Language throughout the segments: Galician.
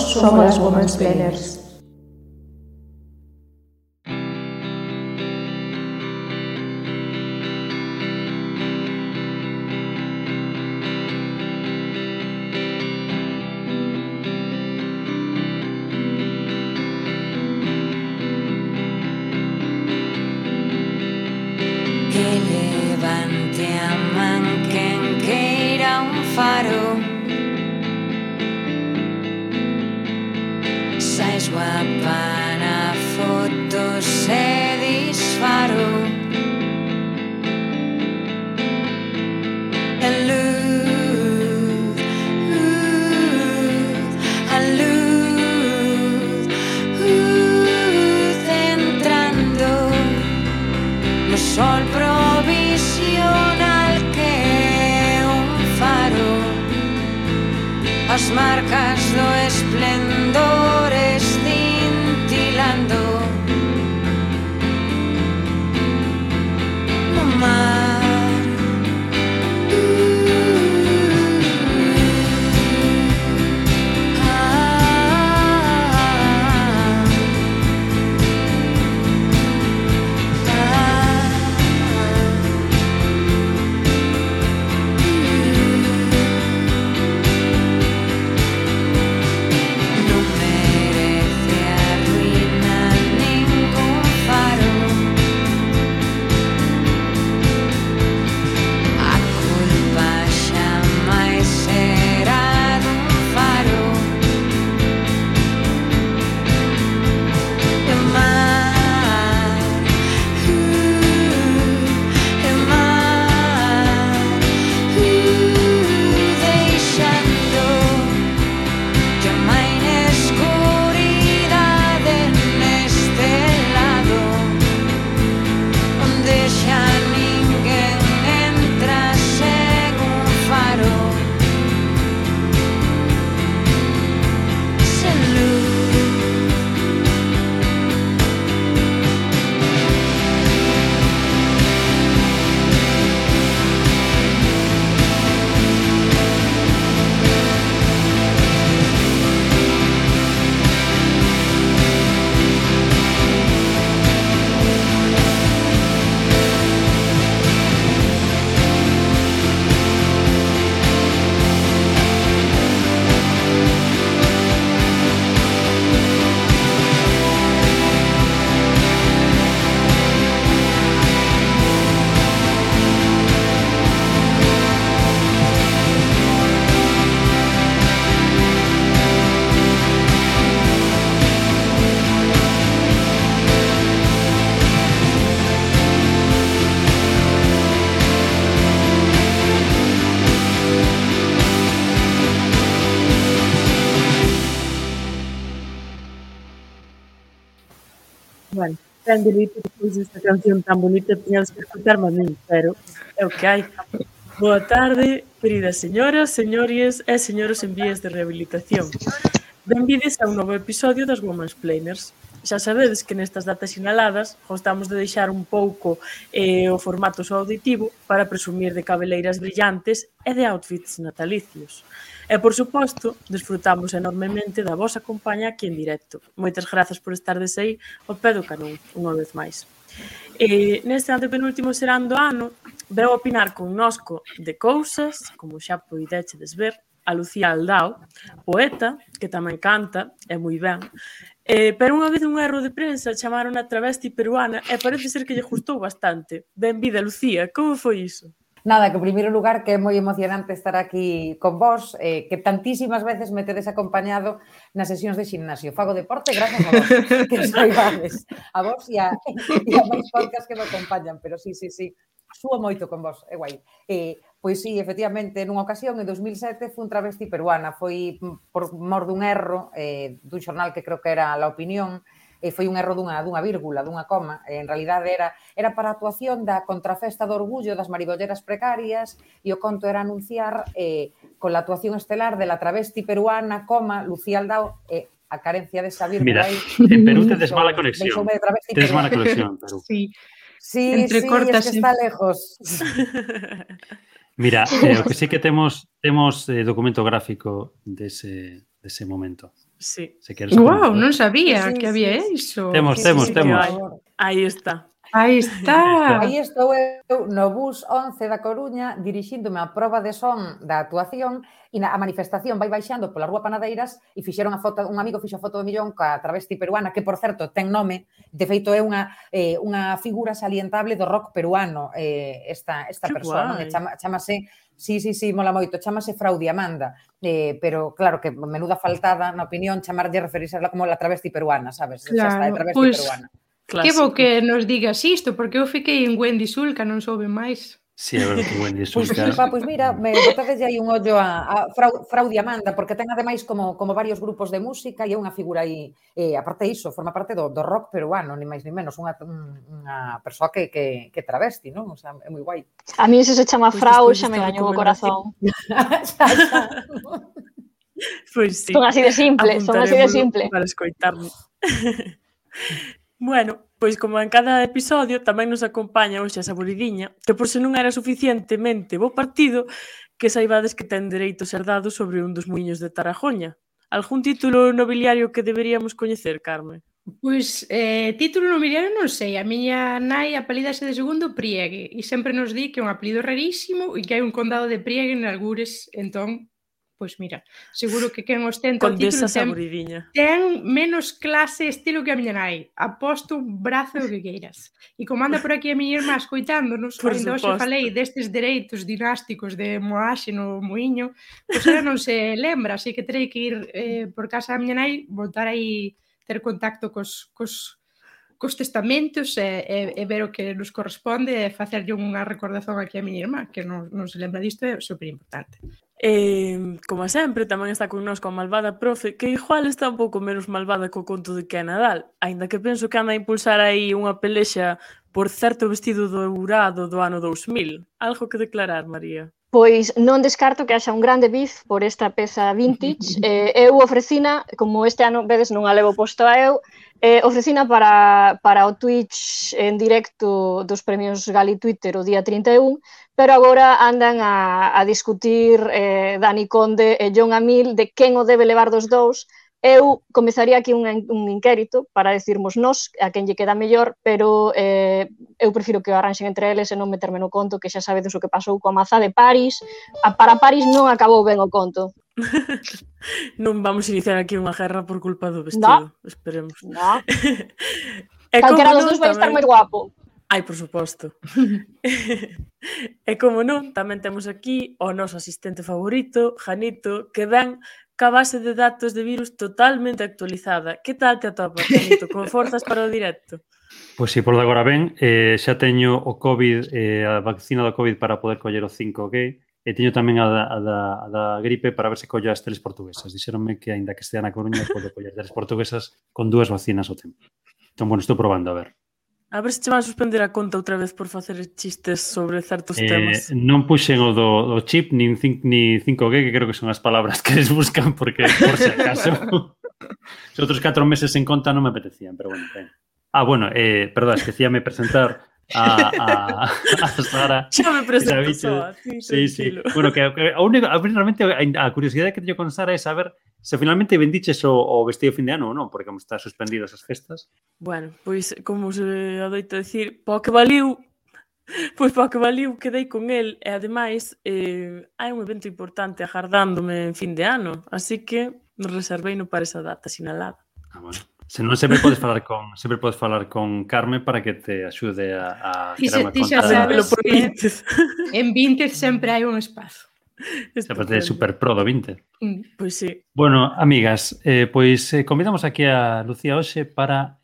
somos as Womansplainers. As marcas do esplendor escintilando no mar. Bueno, ten dereito depois desta canción tan bonita tiñades que escutarme a min, pero é o que hai. Boa tarde, queridas señoras, señores e señores en vías de rehabilitación. Benvides a un novo episodio das Womansplainers. Xa sabedes que nestas datas sinaladas gostamos de deixar un pouco o formato só auditivo para presumir de cabeleiras brillantes e de outfits natalicios. E, por suposto, desfrutamos enormemente da vosa compañía aquí en directo. Moitas grazas por estardes aí ao pé do canón, unha vez máis. Neste antepenúltimo serán do ano, veu opinar connosco de cousas, como xa poidechedes ver, a Lucía Aldao, poeta, que tamén canta, e moi ben, pero unha vez un erro de prensa chamaron a travesti peruana e parece ser que lle gustou bastante. Benvida, Lucía, como foi iso? Nada, que en primeiro lugar que é moi emocionante estar aquí con vos, que tantísimas veces me tedes acompañado nas sesións de ximnasio. Fago deporte gracias a vos, que soibades, a vos e a máis podcast que me acompañan, pero sí, súo moito con vos, é guai. Pois sí, efectivamente, nunha ocasión, en 2007, fui un travesti peruana, foi por mor dun erro dun xornal que creo que era La Opinión, foi un erro dunha vírgula, dunha coma, en realidade era para a actuación da contrafesta do orgullo das maribolleras precarias e o conto era anunciar con la actuación estelar de la travesti peruana, Lucía Aldao, a carencia desa vírgula. Mira, en Perú tedes mala conexión. Tedes mala conexión en Perú. Sí, es que está lejos. Mira, o que sí que temos documento gráfico dese momento. Sí. Guau, non sabía que había iso. Temos. Aí está. Aí está. Aí estou eu no bus 11 da Coruña dirixíndome á proba de son da actuación e a manifestación vai baixando pola Rúa Panadeiras e fixeron a foto, un amigo fixo a foto de millón ca travesti peruana, que, por certo, ten nome, de feito é unha figura salientable do rock peruano, esta persoa, non? Chámase, sí, mola moito, chámase Frau Diamanda, pero, claro, que menuda faltada, na opinión, chamarlle referirse como la travesti peruana, sabes? Xa está, é travesti peruana. Clásico. Que bo que nos digas isto, porque eu fiquei en Wendy Sulca, non soube máis. Sí, a ver, que Wendy Sulca. Pois mira, me botades aí un ollo a Frau Diamanda, porque ten ademais como varios grupos de música e é unha figura aí, aparte iso, forma parte do rock peruano, ni máis ni menos, unha persoa que travesti, non? O sea, é moi guai. A mí se chama Frau, xa me gañou o corazón. Pois sí. Son así de simple. Para escoitarme. Bueno, pois como en cada episodio tamén nos acompaña hoxe a Saboridiña, que por se non era suficientemente bo partido, que saibades que ten dereito a ser dado sobre un dos muiños de Tarajoña. Algún título nobiliario que deberíamos coñecer, Carme? Pois, título nobiliario non sei. A miña nai apelídase de segundo Priegue e sempre nos di que é un apelido rarísimo e que hai un condado de Priegue en Algures, entón... Pois mira, seguro que quen ostenta o título ten menos clase estilo que a miña nai. Aposto un brazo o que queiras. E como anda por aquí a miña irmá escoitándonos, ainda hoxe falei destes dereitos dinásticos de Moaxe no Muiño, pois ela non se lembra, así que terei que ir por casa da miña nai, voltar aí, ter contacto cos testamentos e ver o que nos corresponde e facerlle unha recordación aquí a miña irmá, que non se lembra disto, é super importante. Como sempre, tamén está connosco a malvada profe, que igual está un pouco menos malvada co conto de que é Nadal, aínda que penso que anda a impulsar aí unha pelexa por certo vestido dourado do ano 2000. Algo que declarar, María? Pois non descarto que haxa un grande bif por esta peza vintage. Eu ofrecina, como este ano, vedes, non a levo posto a eu, ofrecina para o Twitch en directo dos premios Gali Twitter o día 31, pero agora andan a discutir Dani Conde e John Amil de quen o debe levar dos dous. Eu comezaría aquí un inquérito para decirmos nós a quen lle queda mellor, pero eu prefiro que o arranxen entre eles e non meterme no conto, que xa sabedes o que pasou coa mazá de París. Para París non acabou ben o conto. Non vamos iniciar aquí unha guerra por culpa do vestido, esperemos. No. Calquera dos dous vai estar moi guapo. Ai, por suposto. E como non, tamén temos aquí o noso asistente favorito, Janito, que ven ca base de datos de virus totalmente actualizada. Que tal te atopas, Janito? Con forzas para o directo? Pois si, por de agora ben, xa teño o COVID, a vacina do COVID para poder coller o 5G, e teño tamén a da gripe para ver se collo as teles portuguesas. Dixeronme que, aínda que estea na Coruña, podo coller teles portuguesas con 2 vacinas ao tempo. Entón, bueno, estou probando, a ver. A ver se che van a suspender a conta outra vez por facer chistes sobre certos temas. Non puxen o do chip nin 5G, que creo que son as palabras que les buscan, porque por si acaso se outros 4 meses en conta non me apetecían, pero bueno, ben. Bueno, perdón, esquecíame presentar a Sara. Xa me presento só, sí. Bueno, que a única, realmente a curiosidade que teño con Sara é saber se finalmente vendiches o vestido fin de ano ou non, porque como está suspendido esas festas. Bueno, pois, como se adoita dicir, po que valiu, quedei con el, e ademais hai un evento importante agardándome en fin de ano, así que reserveino para esa data sinalada. Bueno. Se non, sempre podes falar con Carme para que te axude a crear unha conta. Ti xa sabes que en Vinted sempre hai un espazo. Sempre é super pro do Vinted. Pois sí. Bueno, amigas, pois convidamos aquí a Lucía hoxe para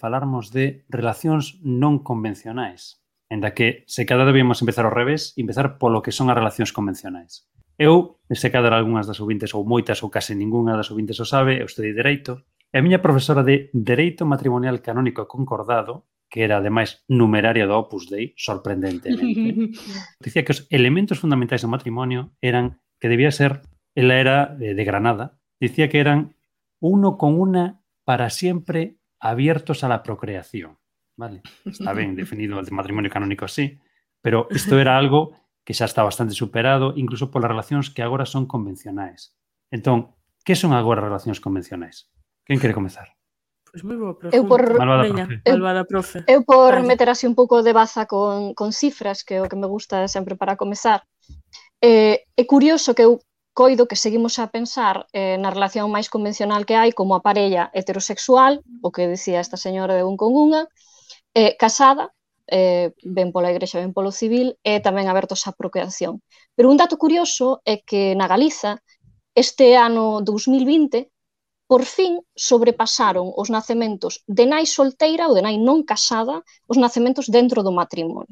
falarmos de relacións non convencionais. Enda que se cada debíamos empezar ao revés, empezar polo que son as relacións convencionais. Eu, se cada algunhas das ouvintes ou moitas ou case ningunha das ouvintes o sabe, eu estudei Dereito. E a miña profesora de Dereito Matrimonial Canónico e Concordado, que era, ademais, numeraria do Opus Dei, sorprendentemente, dicía que os elementos fundamentais do matrimonio eran que debía ser, ela era de Granada, dicía que eran uno con una para siempre abiertos a la procreación. Vale, está ben definido el matrimonio canónico así, pero isto era algo que xa está bastante superado, incluso polas relacións que agora son convencionais. Entón, Que son agora relacións convencionais? Quen quere comezar? Pois moi boa pregunta. Malvada profe. Eu por meter así un pouco de baza con cifras, que é o que me gusta sempre para comezar, é curioso que eu coido que seguimos a pensar na relación máis convencional que hai como a parella heterosexual, o que dicía esta señora de un con unha, casada, ben pola igrexa, ben polo civil, e tamén abertos á procreación. Pero un dato curioso é que na Galiza, este ano 2020, por fin sobrepasaron os nacementos de nai solteira ou de nai non casada os nacementos dentro do matrimonio.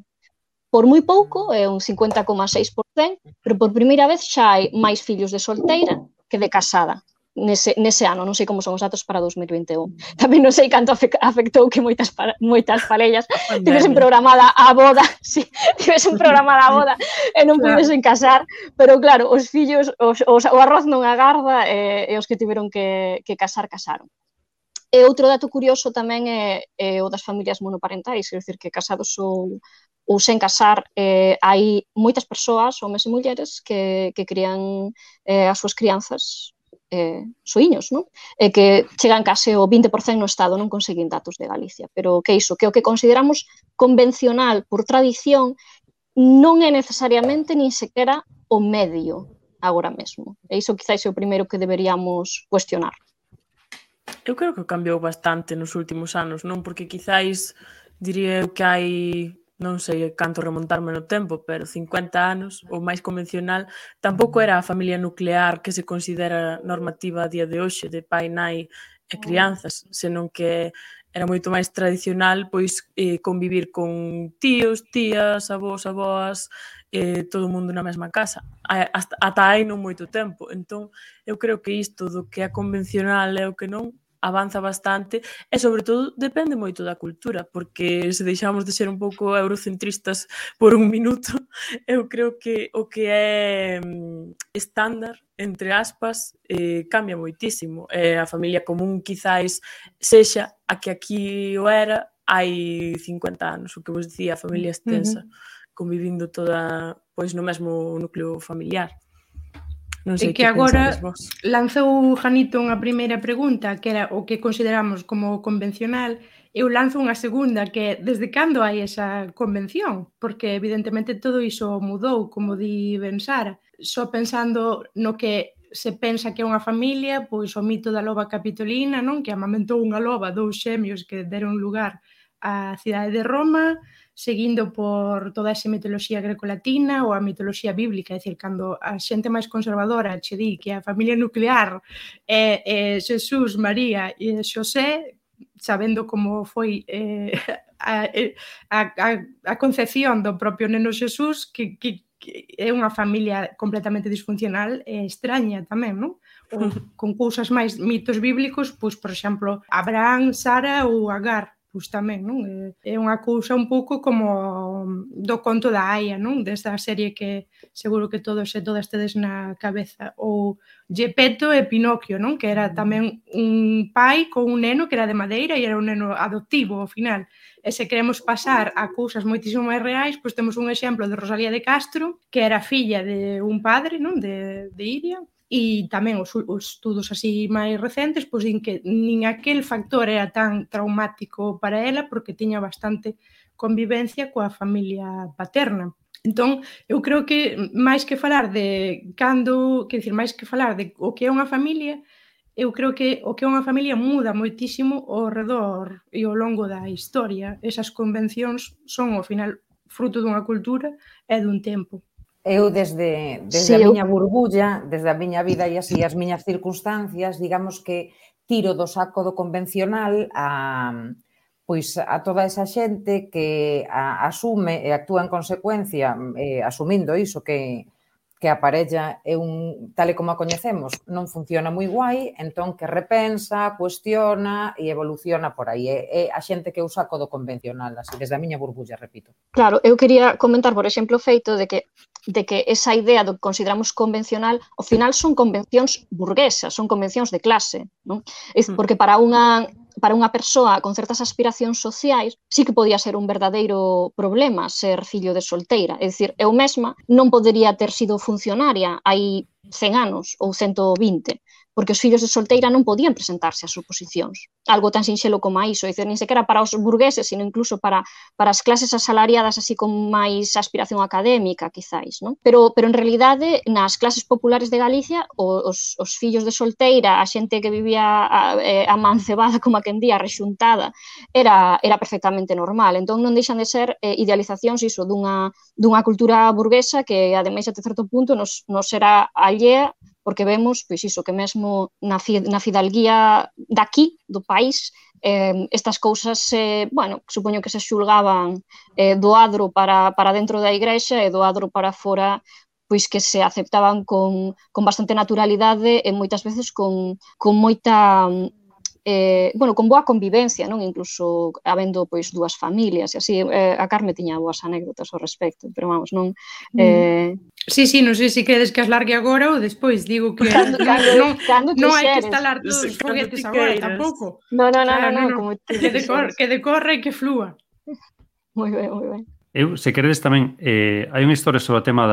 Por moi pouco, é un 50,6%, pero por primeira vez xa hai máis fillos de solteira que de casada nese ano. Non sei como son os datos para 2021. Tamén non sei canto afectou que moitas parellas tivesen programada a boda, e non pudesen casar, pero claro, os fillos, o arroz non agarda e os que tiveron que casar, casaron. E outro dato curioso tamén é o das familias monoparentais, é dicir, que casados ou sen casar, hai moitas persoas, homes e mulleres, que crían as súas crianzas soiños, non? E que chegan case o 20% no Estado, non conseguín datos de Galicia, pero que iso, que o que consideramos convencional por tradición non é necesariamente nin sequera o medio agora mesmo. E iso quizás é o primeiro que deberíamos cuestionar. Eu creo que cambiou bastante nos últimos anos, non? Porque quizáis diría que hai, non sei canto remontarme no tempo, pero 50 anos, o máis convencional, tampouco era a familia nuclear que se considera normativa a día de hoxe, de pai, nai e crianzas, senón que era moito máis tradicional pois convivir con tíos, tías, avós, avoas, todo o mundo na mesma casa, ata hai non moito tempo. Entón, eu creo que isto do que é convencional e o que non avanza bastante e, sobre todo, depende moito da cultura, porque se deixamos de ser un pouco eurocentristas por un minuto, eu creo que o que é estándar, entre aspas, cambia moitísimo. A familia común, quizáis, sexa a que aquí o era hai 50 anos, o que vos dicía, a familia extensa, convivindo toda pois no mesmo núcleo familiar. Non sei que agora lanzou Janito unha primeira pregunta, que era o que consideramos como convencional. Eu lanzo unha segunda, que é desde cando hai esa convención? Porque evidentemente todo iso mudou, como di Ben Sara. Só pensando no que se pensa que é unha familia, pois o mito da loba capitolina, non? Que amamentou unha loba, dous xemios que deron lugar á cidade de Roma, seguindo por toda esa mitoloxía grecolatina ou a mitoloxía bíblica, é dicir, cando a xente máis conservadora che di que a familia nuclear é Xesús, María e Xosé, sabendo como foi a concepción do propio neno Xesús, que é unha familia completamente disfuncional e extraña tamén, non? Ou con cousas máis mitos bíblicos, pois, por exemplo, Abraham, Sara ou Agar, pois tamén, non? É unha cousa un pouco como do conto da Aya, non? Desta serie que seguro que todos e todas tedes na cabeza. Ou Geppetto e Pinocchio, non? Que era tamén un pai con un neno que era de madeira e era un neno adoptivo ao final. E se queremos pasar a cousas moitísimo máis reais, pois temos un exemplo de Rosalía de Castro, que era filla de un padre, non? De Iria. E tamén os estudos así máis recentes pois din que nin aquel factor era tan traumático para ela porque tiña bastante convivencia coa familia paterna. Entón, eu creo que máis que falar de cando, quer dicir, máis que falar de o que é unha familia, eu creo que o que é unha familia muda moitísimo ao redor e ao longo da historia. Esas convencións son, ao final, fruto dunha cultura e dun tempo. Eu desde a miña burbulla, desde a miña vida e así as miñas circunstancias, digamos que tiro do saco do convencional a toda esa xente que asume e actúa en consecuencia, asumindo iso que a parella é tal e como a coñecemos, non funciona moi guai, entón que repensa, cuestiona e evoluciona por aí. É a xente que eu saco do convencional, así, desde a miña burbulla, repito. Claro, eu quería comentar, por exemplo, o feito de que esa idea do que consideramos convencional, ao final son convencións burguesas, son convencións de clase, non? Porque para unha persoa con certas aspiracións sociais sí que podía ser un verdadeiro problema ser fillo de solteira. É dicir, eu mesma non podería ter sido funcionaria hai 100 anos ou 120, porque os fillos de solteira non podían presentarse ás oposicións. Algo tan sinxelo como iso, dizer, nin sequera para os burgueses, sino incluso para as clases asalariadas así con máis aspiración académica, quizáis, non? Pero en realidade, nas clases populares de Galicia, os fillos de solteira, a xente que vivía amancebada, como a quen día, rexuntada, era perfectamente normal. Entón non deixan de ser idealizacións iso dunha cultura burguesa que, ademais, até certo punto, nos será allea, porque vemos, pois iso, que mesmo na fidalguía daqui, do país, estas cousas, bueno, supoño que se xulgaban do adro para dentro da igrexa e do adro para fora, pois que se aceptaban con bastante naturalidade e moitas veces con moita... bueno, con boa convivencia, non? Incluso habendo pois dúas familias e así, a Carme tiña boas anécdotas ao respecto, pero vamos, non... Sí, non sei se queres que as largue agora ou despois, digo que non hai que instalar todos os foguetes agora, tampouco. Non, que decorre e que flúa. Moi ben. Eu, se queredes tamén, hai unha historia sobre o tema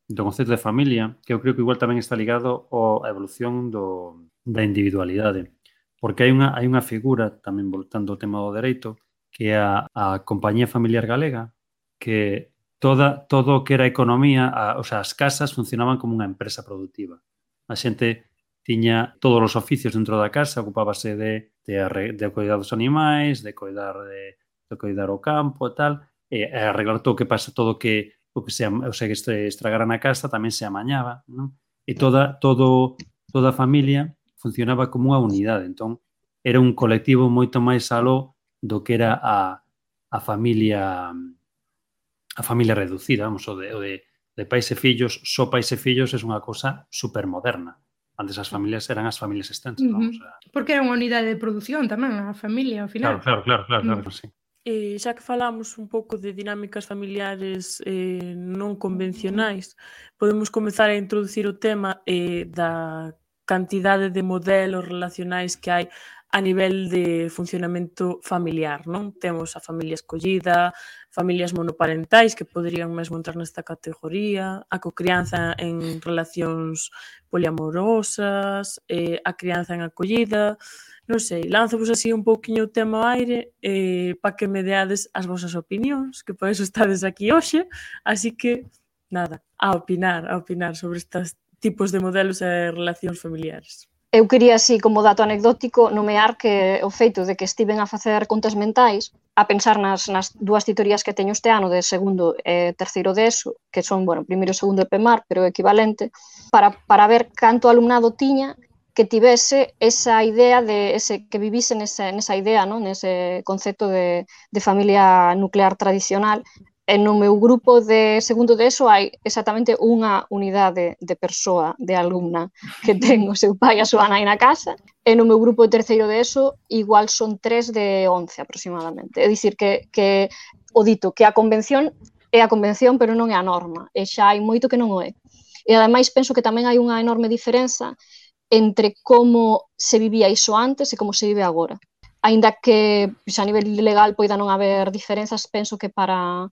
do concepto de familia, que eu creo que igual tamén está ligado á evolución da individualidade. Porque hai unha figura, tamén voltando ao tema do dereito, que é a Compañía Familiar Galega, que todo o que era economía, o sea, as casas funcionaban como unha empresa productiva. A xente tiña todos os oficios dentro da casa, ocupábase de cuidar dos animais, de cuidar o campo e tal, e arreglar todo o que pasa, todo o que estragara na casa tamén se amañaba, non? E toda a familia funcionaba como unha unidade, entón era un colectivo moito máis aló do que era a familia reducida, vamos, o de pais e fillos, só pais e fillos é unha cosa supermoderna. Antes as familias eran as familias extensas, vamos. Porque era unha unidade de produción tamén, a familia, ao final. Claro, sí. Xa que falamos un pouco de dinámicas familiares non convencionais, podemos comezar a introducir o tema da cantidade de modelos relacionais que hai a nivel de funcionamento familiar, non? Temos a familia escollida, familias monoparentais que poderían mesmo entrar nesta categoría, a cocrianza en relacións poliamorosas, a crianza en acollida, non sei, lánzovos así un pouquiño o tema ao aire para que me deades as vosas opinións, que por eso estades aquí hoxe, así que, nada, a opinar sobre estes tipos de modelos e relacións familiares. Eu quería, así, como dato anecdótico, nomear que o feito de que estiven a facer contas mentais, a pensar nas dúas titorías que teño este ano de segundo e terceiro de ESO, que son, bueno, primeiro e segundo de PEMAR, pero equivalente, para ver canto alumnado tiña que tivese esa idea que vivise nesa idea, non? Nese concepto de familia nuclear tradicional. E no meu grupo de segundo de ESO hai exactamente unha unidade de persoa, de alumna, que ten o seu pai e a súa nai na casa, e no meu grupo de terceiro de ESO igual son 3 de 11 aproximadamente. É dicir, que o dito, que a convención é a convención, pero non é a norma, e xa hai moito que non o é. E ademais penso que tamén hai unha enorme diferenza entre como se vivía iso antes e como se vive agora. Aínda que a nivel legal poida non haber diferenzas, penso que para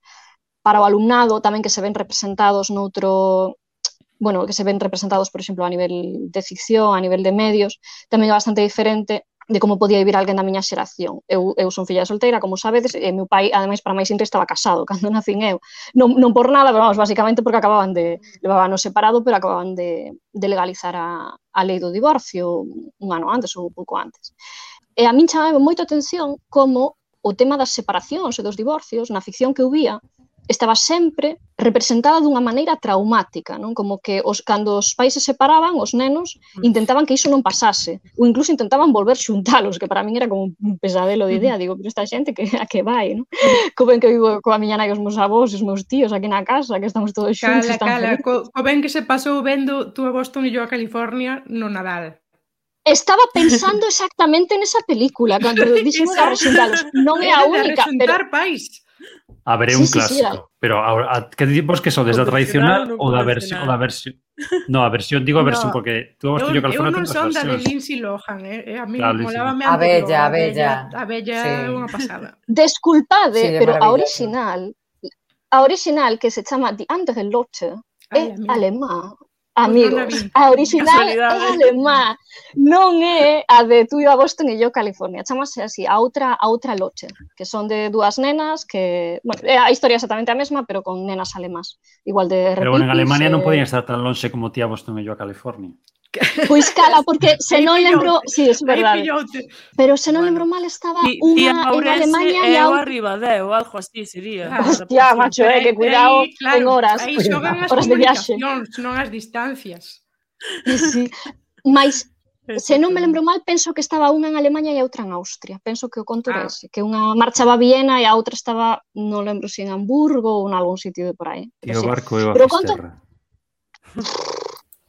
o alumnado tamén que se ven representados que se ven representados, por exemplo, a nivel de ficción, a nivel de medios, tamén é bastante diferente de como podía vivir alguén da miña xeración. Eu son filla solteira, como sabedes, e meu pai, ademais, para máis intre, estaba casado cando nacín eu. Non por nada, pero vamos, basicamente porque levaban separado, pero acababan de legalizar a lei do divorcio un ano antes ou pouco antes. E a min chamaba moito a atención como o tema das separacións e dos divorcios, na ficción que eu vía, estaba sempre representada dunha maneira traumática, non? Como que cando os pais se separaban, os nenos intentaban que iso non pasase, ou incluso intentaban volver xuntalos, que para min era como un pesadelo de idea, digo, pero esta xente a que vai, non? Co ben que vivo coa miña nai, os meus avós, os meus tíos aquí na casa, que estamos todos xuntos. Cala, co ben que se pasou vendo tú a Boston e yo a California no Nadal. Estaba pensando exactamente nesa película, cando dixemos a rexuntalos. Non é a única, pero... pais. A ver, é un clásico. Pero que tipos que son desde a tradicional ou da versión? No, a versión, digo a versión, porque tú vas yo California ten dos versións. Eu non son da de Lindsay Lohan, a mí molábame a bella. A bella é unha pasada. Desculpade, pero a original que se chama Die andere Lotte é alemá. Amigos, a original é alemá, non é a de Tú a Boston e yo California, chamase así, a outra loche, que son de dúas nenas que, bueno, a historia é exactamente a mesma, pero con nenas alemás, igual de repipis. Pero bueno, en Alemania non podían estar tan lonxe como Tú a Boston e yo a California. Pois cala, porque se non lembro, sí, é verdade. Pero se non lembro mal estaba unha en Alemania e a outra arriba de ou algo así sería. Hostia, macho, que cuidado en horas. Aí xogan as comunicacións, non as distancias. Sí, mas se non me lembro mal, penso que estaba unha en Alemania e outra en Austria. Penso que o conto era ese, que unha marchaba a Viena e a outra estaba, non lembro se en Hamburgo ou en algún sitio de por aí. E o barco é a Fisterra.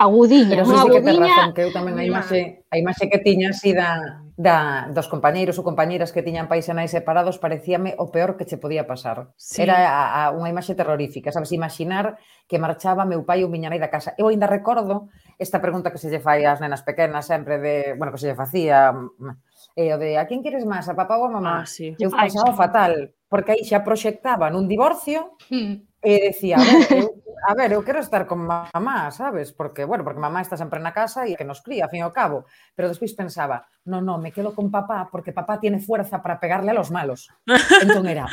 Agudiña, pero unha sí que ten agudiña. razón, que eu tamén a imaxe que tiña así dos compañeiros ou compañeiras que tiñan pais e nais separados parecíame o peor que che podía pasar. Sí. Era unha imaxe terrorífica, sabes, imaginar que marchaba meu pai ou miña nai da casa. Eu ainda recordo esta pregunta que se lle fai ás nenas pequenas sempre de, bueno, que se lle facía o de a quen queres máis, a papá ou a mamá? Sí. Eu pasaba fatal, porque aí xa proxectaba nun divorcio e decía, a ver, eu quero estar con mamá, sabes? Porque mamá está sempre na casa e que nos cría, a fin e ao cabo. Pero despois pensaba, no, me quedo con papá porque papá tiene fuerza para pegarle a los malos. Entón era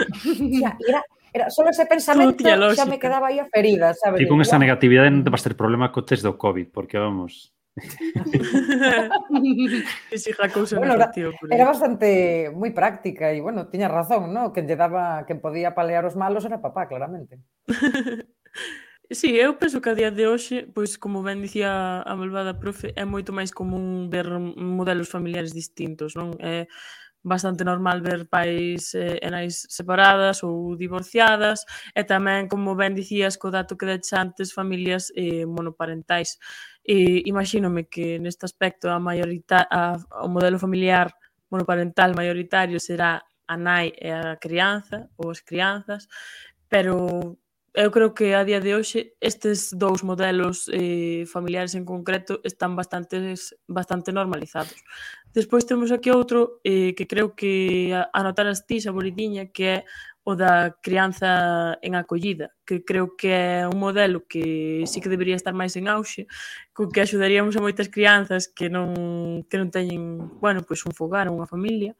solo ese pensamento xa me quedaba aí a ferida, sabes? E con esa negatividade non te vas ter problema co test do COVID, porque vamos... Era bastante moi práctica e, bueno, tiña razón, ¿no? Quen podía palear os malos era papá, claramente. Sí, eu penso que a día de hoxe, pois como ben dicía a malvada profe, é moito máis común ver modelos familiares distintos, non? É bastante normal ver pais e nais separadas ou divorciadas e tamén, como ben dicías, co dato que deches antes, familias monoparentais. Imagínome que neste aspecto o modelo familiar monoparental maioritario será a nai e a crianza ou as crianzas, pero eu creo que a día de hoxe estes dous modelos familiares en concreto están bastante normalizados. Despois temos aquí outro que creo que anotaras ti, Saboridiña, que é o da crianza en acollida, que creo que é un modelo que sí que debería estar máis en auxe, co que axudaríamos a moitas crianzas que non teñen, bueno, pois un fogar, unha familia.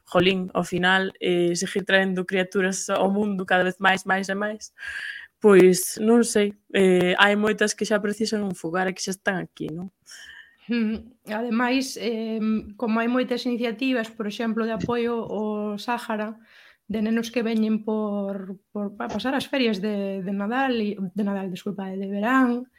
Jolín, ao final, seguir traendo criaturas ao mundo cada vez máis e máis, pois non sei, hai moitas que xa precisan un fogar e que xa están aquí, non? Ademais, como hai moitas iniciativas, por exemplo, de apoio ao Sáhara, de nenos que veñen por pasar as ferias de verán,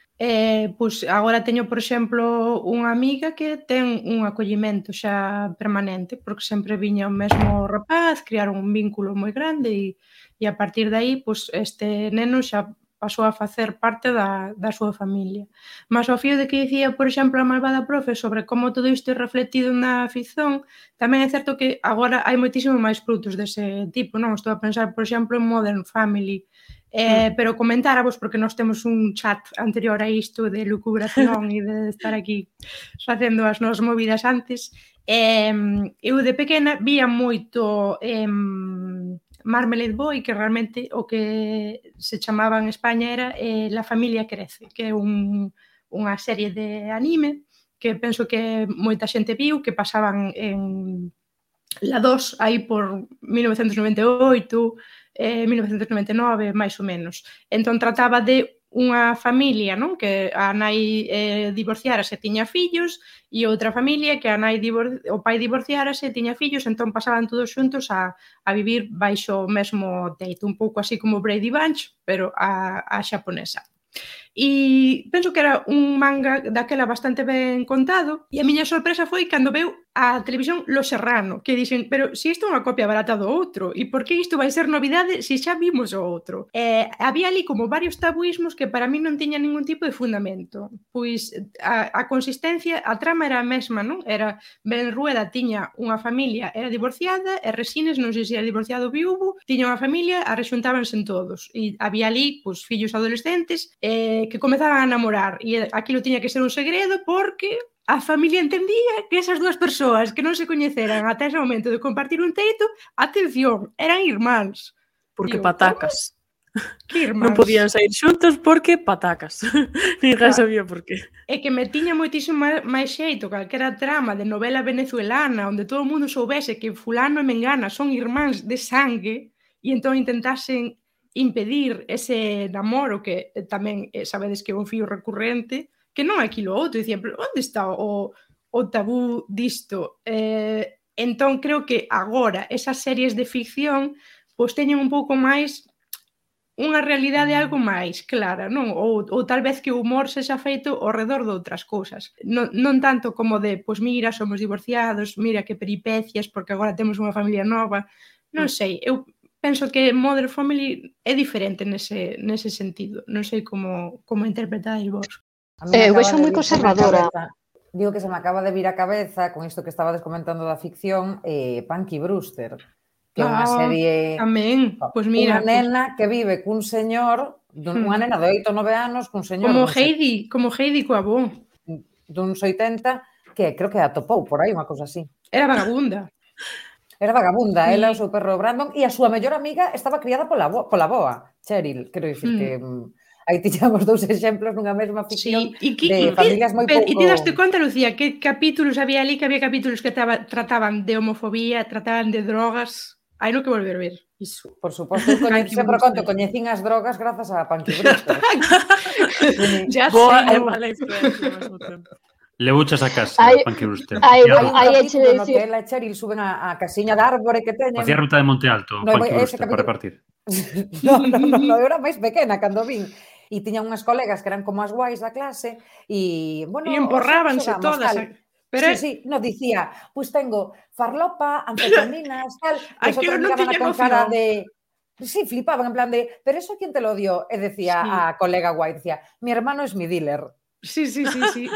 pois agora teño, por exemplo, unha amiga que ten un acollimento xa permanente, porque sempre viña o mesmo rapaz, criaron un vínculo moi grande e a partir de aí, pois este neno xa pasou a facer parte da súa familia. Mas ao fío de que dicía, por exemplo, a malvada profe sobre como todo isto é refletido na ficción, tamén é certo que agora hai moitísimo máis produtos dese tipo, non? Estou a pensar, por exemplo, en Modern Family, pero comentáramos, porque nós temos un chat anterior a isto de lucubración e de estar aquí facendo as nosas movidas antes. Eu de pequena vía moito Marmalade Boy, que realmente o que se chamaba en España era La familia crece, que é unha serie de anime que penso que moita xente viu, que pasaban en la 2 aí por 1998, 1999, máis ou menos. Entón trataba de unha familia, non? Que a nai divorciárase e tiña fillos, e outra familia que o pai divorciárase e tiña fillos, entón pasaban todos xuntos a vivir baixo o mesmo teito, un pouco así como Brady Bunch, pero a xaponesa. E penso que era un manga daquela bastante ben contado, e a miña sorpresa foi cando veu a televisión Los Serrano, que dixen, pero se isto é unha copia barata do outro, e por que isto vai ser novidade se xa vimos o outro? Había ali como varios tabuismos que para mí non tiñan ningún tipo de fundamento. Pois a consistencia, a trama era a mesma, non? Era Ben Rueda tiña unha familia, era divorciada, e Resines, non sei se era divorciado ou viúvo, tiña unha familia, arrexuntábanse en todos. E había ali, pois, fillos adolescentes que comezaban a namorar, e aquilo tiña que ser un segredo porque a familia entendía que esas dúas persoas que non se coñeceran ata ese momento de compartir un teito, atención, eran irmáns. Porque patacas. Que irmáns. Non podían sair xuntos porque patacas. Ninguén sabía por qué. É que me tiña moitísimo máis xeito calquera trama de novela venezuelana onde todo o mundo soubese que fulano e mengana son irmáns de sangue e entón intentasen impedir ese namoro que tamén sabedes que é un fío recurrente, que non é aquilo outro. Dicían, pero onde está o tabú disto? Entón creo que agora esas series de ficción pois teñen un pouco máis unha realidade algo máis clara, non? Ou tal vez que o humor sexa feito ao redor de outras cousas. Non tanto como de, pois mira, somos divorciados, mira que peripecias, porque agora temos unha familia nova. Non sei, eu penso que Modern Family é diferente nese sentido. Non sei como interpretáis vos. Eu vexo moi conservadora. Digo que se me acaba de vir a cabeza con isto que estabades comentando da ficción, Punky Brewster, que é unha serie... Tamén, pois mira... Unha nena que vive cun señor, unha nena de 8 ou 9 anos, cun señor... Como Heidi coa avó. Duns 80, que creo que atopou por aí, unha cousa así. Era vagabunda. Ela e o seu perro Brandon, e a súa mellor amiga estaba criada pola boa, Cheryl. Quero dicir que aí tiñamos dous exemplos nunha mesma ficción de familias moi pouco... E ti daste conta, Lucía, que capítulos había ali, que había capítulos que trataban de homofobía, trataban de drogas... Hai no que volver a ver iso. Por suposto, sempre conto, coñecín as drogas grazas a Punky Brewster. Boa e mala influencia ao mesmo tempo. Le buchas a casa, Punky Brewster. Aí eche de dicir... Ela e Cheryl suben a casiña de árbore que teñen. Facía ruta de Monte Alto, Punky Brewster, para repartir. Non, eu era máis pequena cando vin. E tiñan unhas colegas que eran como as guais da clase e, bueno... E emporrábanse todas. Pero sí, nos dicía, pois tengo farlopa, anfetaminas, tal... Aquilo non tiña cara de... Sí, flipaban en plan de, pero eso quién te lo dio? E decía a colega guai, decía, mi hermano es mi dealer. Sí.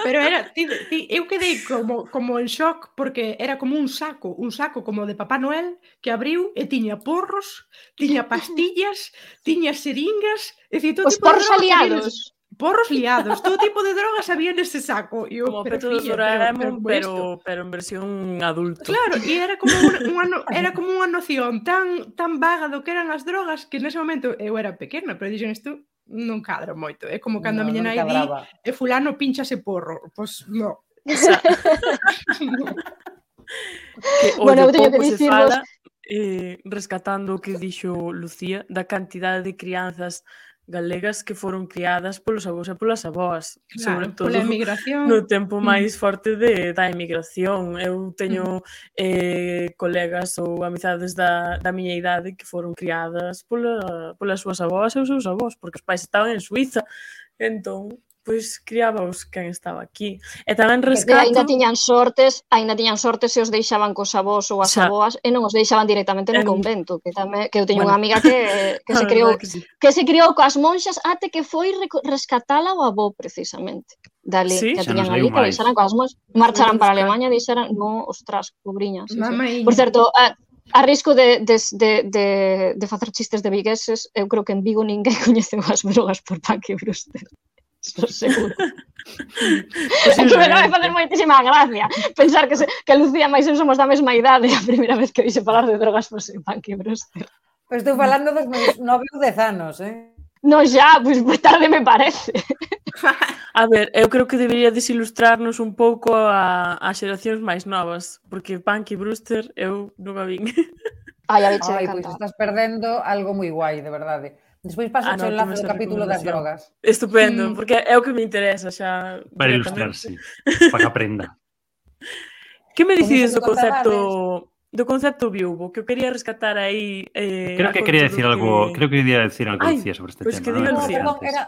Pero era, eu quedei como en shock porque era como un saco como de Papá Noel que abriu e tiña porros, tiña pastillas, tiña seringas, é dicir, todo tipo de drogas. Porros liados, todo tipo de drogas había nese saco. Como Peto de Doraemon, pero en versión adulto. Claro, e era como unha noción tan vaga do que eran as drogas que nese momento eu era pequena, pero dixen isto non cadra moito. É como cando a miña nai di e fulano pinchase porro. Pois non. Bueno, eu teño que dicirvos rescatando o que dixo Lucía da cantidade de crianzas galegas que foron criadas polos avós e polas avós, sobre todo pola emigración. No tempo máis forte da emigración. Eu teño colegas ou amizades da miña idade que foron criadas polas súas avós e os seus avós, porque os pais estaban en Suiza, entón pois criábaos quen estaba aquí. E tamén rescato... Ainda tiñan sortes se os deixaban cos avós ou as avoas e non os deixaban directamente no convento, que eu teño unha amiga que se criou coas monxas até que foi rescatala o avó, precisamente. Dali, que tiñan ali, que deixaran coas monxas, marcharan para Alemanha e deixaran, no, ostras, pobriñas. Por certo, a risco de facer chistes de vigueses, eu creo que en Vigo ninguén coñece as drogas por Punky Brewster. Estou seguro. Que me vai facer moitísima gracia pensar que Lucía máis eu somos da mesma idade e a primeira vez que oíxe falar de drogas foi Punky Brewster. Pois estou falando dos meus 9 ou 10 anos, No, xa, pois tarde me parece. A ver, eu creo que debería desilustrarnos un pouco a xeracións máis novas, porque Punky Brewster eu non a vin. Ai, pois estás perdendo algo moi guai, de verdade. Despois paso o enlace do capítulo das drogas. Estupendo, porque é o que me interesa xa. Para ilustrarse, para que aprenda. Que me dicides do concepto viúvo? Que eu quería rescatar aí... Creo que quería decir algo Lucía sobre este tema. Pois que diga Lucía.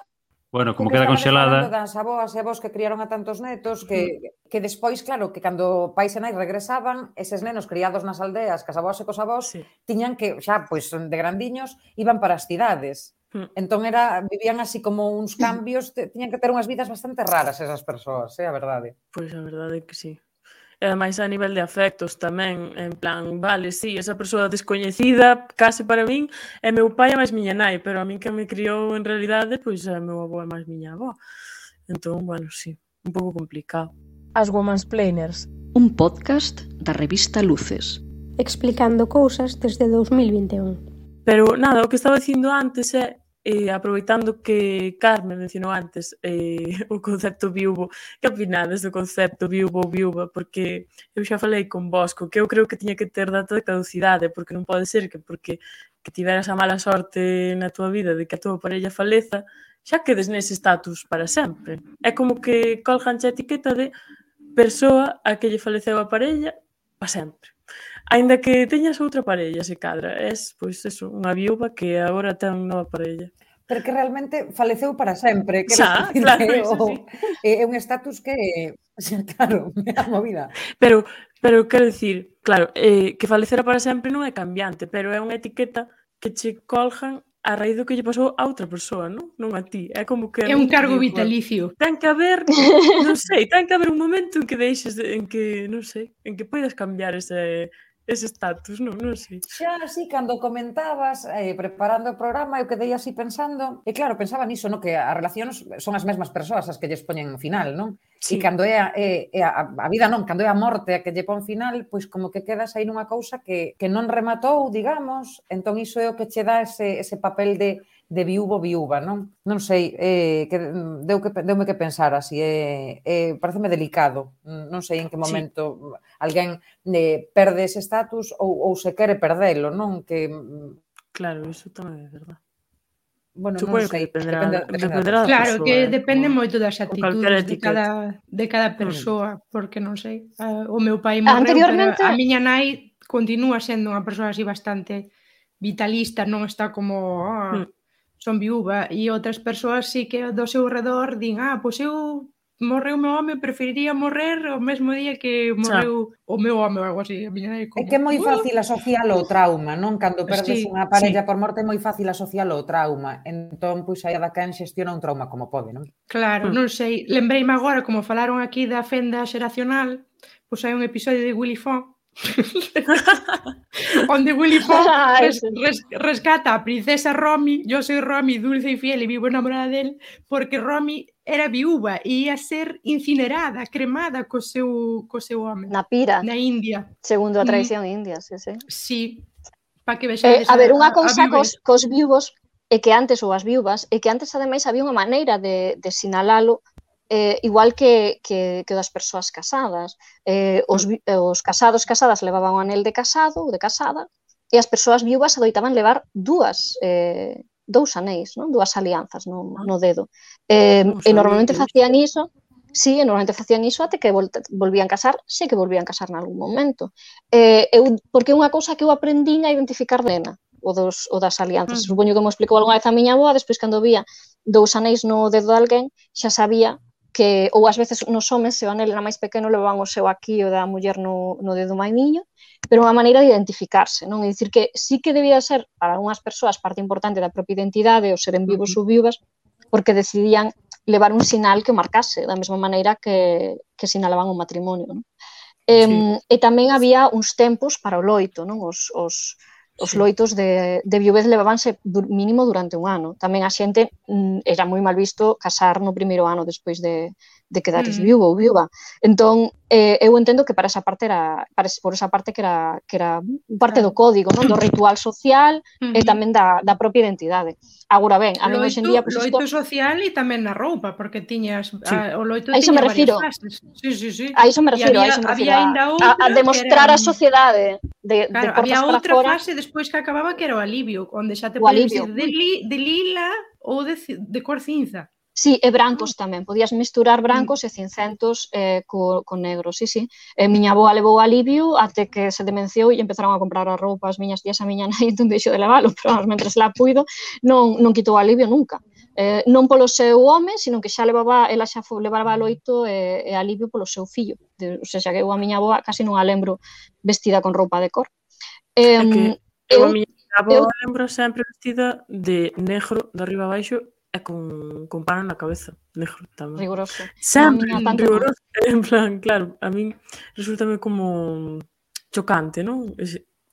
Bueno, como queda conxelada... Das avós e avós que criaron a tantos netos que despois, claro, que cando pais e nais regresaban, eses nenos criados nas aldeas, cas avós e cos avós, tiñan que, xa, pois, de grandiños, iban para as cidades. Entón vivían así como uns cambios, tiñan que ter unhas vidas bastante raras esas persoas, a verdade. Pois a verdade é que sí. E ademais a nivel de afectos tamén, en plan, vale, sí, esa persoa descoñecida, case para min, é meu pai e máis miña nai, pero a min que me criou en realidade, pois é meu avó e máis miña avó. Entón, bueno, sí, un pouco complicado. As Womansplainers, un podcast da revista Luces, explicando cousas desde 2021. Pero nada, o que estaba dicindo antes é aproveitando que Carmen mencionou antes o concepto viúvo, que opinades do concepto viúvo ou viúva? Porque eu xa falei con Bosco que eu creo que tiña que ter data de caducidade, porque non pode ser que porque que tiveras a mala sorte na tua vida de que a tua parella faleza, xa quedes nese status para sempre. É como que colgan a etiqueta de persoa a que lle faleceu a parella para sempre. Ainda que teñas outra parella, se cadra, és, pois, eso, unha viúva que agora ten nova parella. Pero que realmente faleceu para sempre. Xa, claro, eso sí. É un estatus que, claro, é a movida. Pero quero dicir, claro, que falecera para sempre non é cambiante, pero é unha etiqueta que che colgan a raíz do que lle pasou a outra persoa, non a ti. É como que... É un cargo vitalicio. Ten que haber, non sei, ten que haber un momento en que deixes, en que, non sei, en que poidas cambiar ese estatus, non sei. Xa, así, cando comentabas, preparando o programa, eu quedei así pensando, e claro, pensaba niso, no? Que as relacións son as mesmas persoas as que lles poñen final, non? Sí. E cando é a vida non, cando é a morte a que lle pon final, pois como que quedas aí nunha cousa que non rematou, digamos, entón iso é o que che dá ese papel de viúva, non? Non sei, deume que pensar así, pareceme delicado, non sei en que momento alguén perde ese status ou se quere perdelo, non? Que... Claro, iso tamén é verdade. Bueno, non sei, dependerá da claro, persoa, que depende moito das actitudes de cada persoa, porque non sei, o meu pai morreu, anteriormente... pero a miña nai continúa sendo unha persoa así bastante vitalista, non está como son viúva, e outras persoas sí que do seu redor din, pois eu morreu o meu home, preferiría morrer o mesmo día que morreu o meu home ou algo así. A miña nai como... É que é moi fácil asocialo ao trauma, non? Cando perdes unha parella por morte é moi fácil asocialo ao trauma. Entón, pois, aí cada quen xestiona un trauma como pode, non? Claro, non sei. Lembreime agora, como falaron aquí da fenda xeracional, pois hai un episodio de Willy Fogg onde Willy Fogg rescata a princesa Romy. Yo soy Romy, dulce y fiel, y vivo enamorada de él, porque Romy era viúva e ia ser incinerada, cremada co seu home. Na pira. Na India. Segundo a tradición india, sí. Sí, para que vexades a ver, unha cousa cos viúvos é que antes, ou as viúvas, é que antes ademais había unha maneira de sinalalo igual que das persoas casadas. Os casadas levaban o anel de casado ou de casada, e as persoas viúvas adoitaban levar dous anéis, non? Dúas alianzas no dedo. E normalmente facían iso, até que volvían casar, que volvían casar nalgún momento. Porque é unha cousa que eu aprendín a identificar de nena, o das alianzas. Supoño que me explicou algunha vez a miña avoa, despois cando vía dous anéis no dedo de alguén, xa sabía que, ou ás veces nos homes, se o anel era máis pequeno, levaban o seu aquí, o da muller no dedo maimiño, pero unha maneira de identificarse, non? É dicir que sí que debía ser, para algunhas persoas, parte importante da propia identidade, o seren vivos ou viúvas, porque decidían levar un sinal que o marcase, da mesma maneira que sinalaban o matrimonio, non? E tamén había uns tempos para o loito, non? Os loitos de viuvez levabanse mínimo durante un ano. Tamén a xente era moi mal visto casar no primeiro ano despois de quedares viúvo ou viúva. Entón, eu entendo que por esa parte que era parte do código, non? Do ritual social e tamén da propia identidade. Agora ben, a mí hoxe en día... Loito social e tamén na roupa, porque tiñas... O loito tiña varias fases. Sí. A iso me refiro. A demostrar a sociedade de portas para fora. Había outra fase despois que acababa que era o alivio, onde xa te podes ir de lila ou de cor cinza. Sí, e brancos tamén. Podías misturar brancos e cincentos con negros, sí. Miña avoa levou alivio até que se demenciou e empezaron a comprar a roupa as miñas tías a miña nai, entón deixou de levalo, pero mentres la puido non quitou alivio nunca. Non polo seu home, sino que ela xa levaba loito e alivio polo seu fillo. O sea, que eu a miña avoa casi non a lembro vestida con roupa de cor. Eu a miña avoa lembro sempre vestida de negro de arriba abaixo e con pano na cabeza, negro tamén. Riguroso. Sempre riguroso. En plan, claro, a min resultame como chocante, non?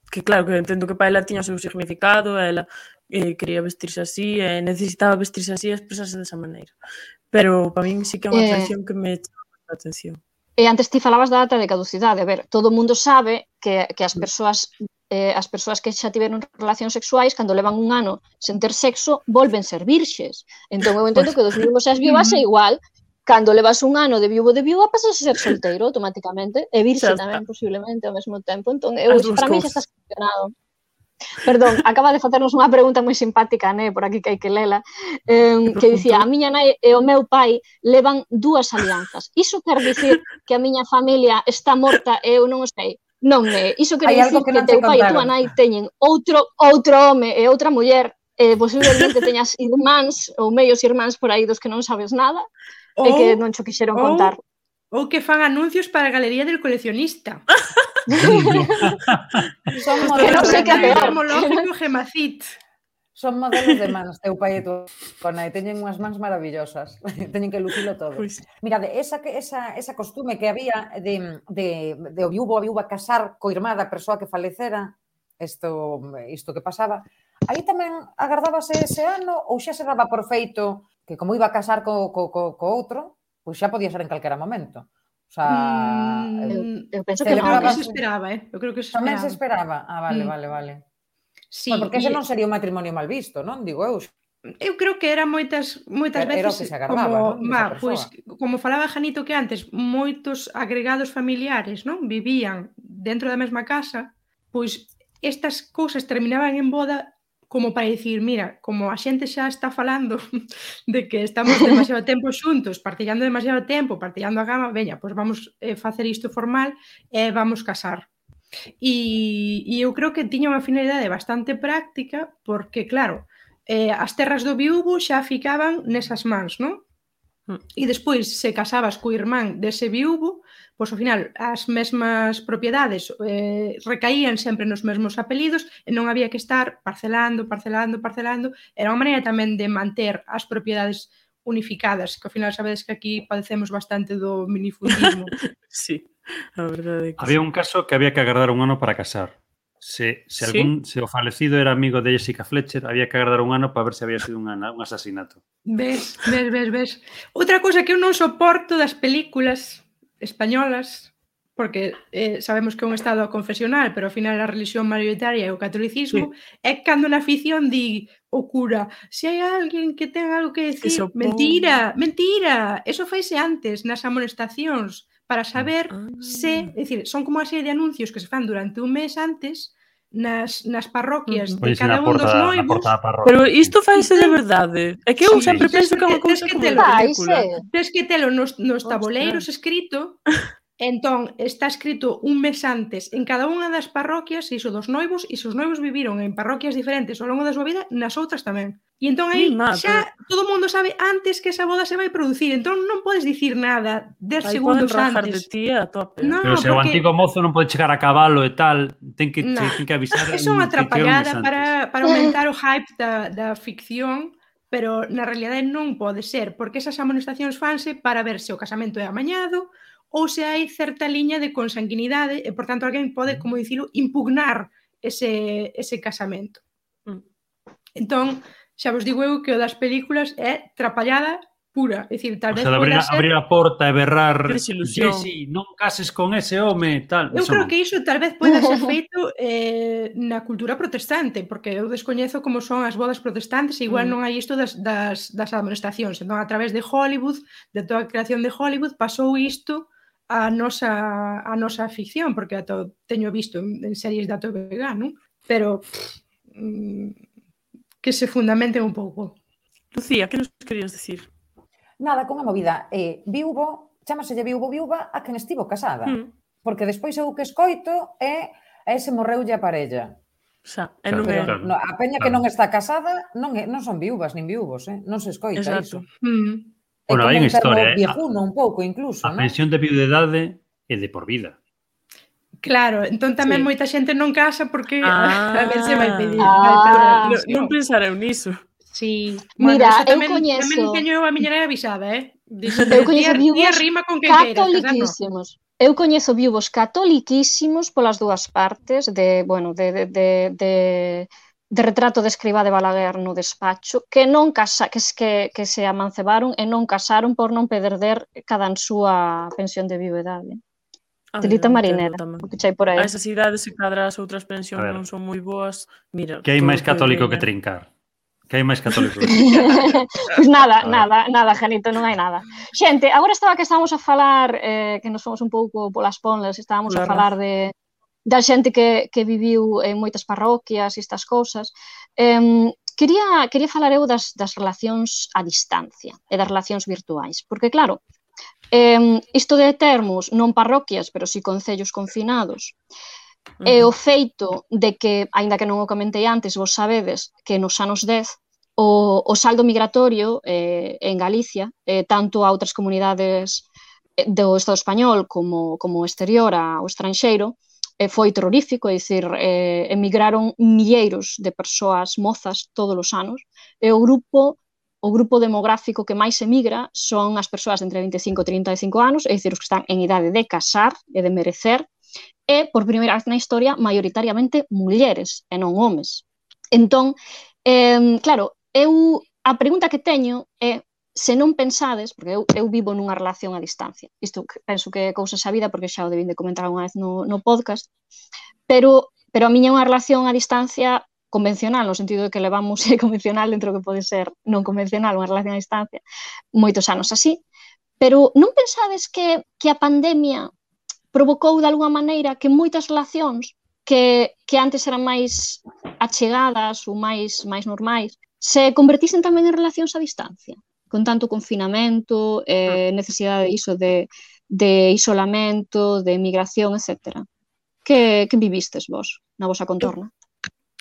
Que claro, que entendo que para ela tiña o seu significado, ela quería vestirse así, necesitaba vestirse así e expresarse desa maneira. Pero para min sí que é unha tradición que me chama a atención. E antes ti falabas da data de caducidade. A ver, todo o mundo sabe que as persoas as persoas que xa tiveron relacións sexuais, cando levan un ano sen ter sexo, volven ser virxes. Entón, eu entendo que dos vivos e as viúvas é igual. Cando levas un ano de viúva pasas a ser solteiro automáticamente, e virxe tamén, posiblemente, ao mesmo tempo. Entón, para mí xa está solucionado. Perdón, acaba de facernos unha pregunta moi simpática, por aquí que hai que lela, que dicía, a miña nai e o meu pai levan 2 alianzas. Iso quer dicir que a miña familia está morta e eu non o sei? Non, iso quer dicir que teu pai e tua nai teñen outro home e outra muller, posiblemente teñas irmáns ou meios irmáns por aí dos que non sabes nada e que non cho quixeron contar. Ou que fan anuncios para a Galería del Coleccionista. Son modelos sei que é peor. Gemológico Gemacit. Son modelos de mans, teu pai e tua nai. Teñen unhas mans maravillosas. Teñen que lucilo todo. Mirade, esa costume que había de o viúvo a viúva casar co irmá da persoa que falecera, isto que pasaba, aí tamén agardábase ese ano ou xa se daba por feito que como iba a casar co outro, pois xa podía ser en calquera momento. O sea, eu penso que se esperaba, Eu creo que se esperaba. Tamén se esperaba. Vale. Sí, porque ese non sería un matrimonio mal visto, non? Digo eu. Eu creo que era moitas veces era o que se agardaba, pois, como falaba Janito que antes, moitos agregados familiares, non? Vivían dentro da mesma casa, pois estas cousas terminaban en boda como para dicir, mira, como a xente xa está falando de que estamos demasiado tempo xuntos, partillando demasiado tempo, partillando a cama, veña, pois vamos facer isto formal e vamos casar. E eu creo que tiña unha finalidade bastante práctica porque, claro, as terras do viúvo xa ficaban nesas mans, non? E despois, se casabas co irmán dese viúvo, pois ao final as mesmas propiedades recaían sempre nos mesmos apelidos e non había que estar parcelando. Era unha maneira tamén de manter as propiedades unificadas, que ao final sabedes que aquí padecemos bastante do minifundismo. Sí, a verdade é que había un caso que había que agardar un ano para casar. Se o falecido era amigo de Jessica Fletcher, había que agardar un ano para ver se había sido un asasinato. Ves. Outra cousa que eu non soporto das películas españolas, porque sabemos que é un estado confesional, pero ao final a religión mayoritaria é o catolicismo, é cando na ficción di o cura, se hai alguén que ten algo que decir, mentira, eso faise antes, nas amonestacións, para saber se, é dicir, son como unha serie de anuncios que se fan durante un mes antes nas parroquias de cada un dos noivos. Pero isto faise de verdade. É que eu sempre penso que é unha cousa como de película. Tens que telo nos tabuleiros escrito. Entón, está escrito un mes antes en cada unha das parroquias iso dos noivos, e se os noivos viviron en parroquias diferentes ao longo da súa vida, nas outras tamén. E entón aí xa todo o mundo sabe antes que esa boda se vai producir, entón non podes dicir nada 10 segundos antes. De ti a tope. No, pero se o antigo mozo non pode chegar a cabalo e tal, ten que avisar. É unha atrapallada para aumentar o hype da ficción, pero na realidade non pode ser, porque esas amonestacións fanse para ver se o casamento é amañado ou se hai certa liña de consanguinidade e, por tanto, alguén pode, como dicilo, impugnar ese casamento. Entón, xa vos digo eu que o das películas é trapallada pura. É dicir, tal vez abrir a porta e berrar Jessy, non cases con ese home, tal. Eu creo que iso tal vez pode ser feito na cultura protestante, porque eu descoñezo como son as bodas protestantes e igual non hai isto das amonestacións. Entón, a través de Hollywood, de toda a creación de Hollywood, pasou isto a nosa ficción, porque teño visto en series da TVG, non? Pero que se fundamenten un pouco. Lucía, que nos querías decir? Nada, con a movida. Viúvo, chámaselle viúva a quen estivo casada. Porque despois eu que escoito é ese morreulle a parella. Pero a peña que non está casada non son viúvas nin viúvos, non se escoita iso. Bueno, hai unha historia, viejuno un pouco incluso, a pensión de viudedade é de por vida. Claro, entón tamén moita xente non casa porque a ver se vai pedir. Non pensareu niso. Sí. Mira, eu coñezo... Tamén teño a miña nai avisada, Eu coñezo viúvos catoliquísimos. Eu coñezo viúvos catoliquísimos polas dúas partes de retrato de Escrivá de Balaguer no despacho, que se amancebaron e non casaron por non perder cada súa pensión de viudedade. Telita marinera, o que chai por aí. A esas idades, se cadra as outras pensións A ver. non son moi boas, mira... Que hai todo máis católico que veña. trincar? Que hai máis católico que trincar? Pois nada, A ver. nada, Janito, non hai nada. Xente, agora estábamos a falar, que nos fomos un pouco polas ponlas, estábamos a Pola falar da xente que viviu en moitas parroquias e estas cousas. Quería falar eu das relacións a distancia e das relacións virtuais, porque claro, isto de termos non parroquias, pero si concellos confinados, e o feito de que, aínda que non o comentei antes, vos sabedes que nos anos 10 o saldo migratorio en Galicia, tanto a outras comunidades do Estado español como exterior ao estranxeiro, foi terrorífico, é dicir, emigraron milleiros de persoas mozas todos os anos, e o grupo demográfico que máis emigra son as persoas entre 25 e 35 anos, é dicir, os que están en idade de casar e de merecer, e, por primeira vez na historia, maioritariamente mulleres e non homes. Entón, claro, a pregunta que teño é se non pensades, porque eu vivo nunha relación a distancia, isto penso que é cousa sabida porque xa o debín de comentar unha vez no podcast, pero a miña é unha relación a distancia convencional, no sentido de que levamos convencional dentro que pode ser non convencional, unha relación a distancia, moitos anos así, pero non pensades que a pandemia provocou de alguma maneira que moitas relacións que antes eran máis achegadas ou máis normais se convertisen tamén en relacións a distancia, con tanto confinamento, necesidade iso de isolamento, de migración, etc. Que vivistes vos na vosa contorna?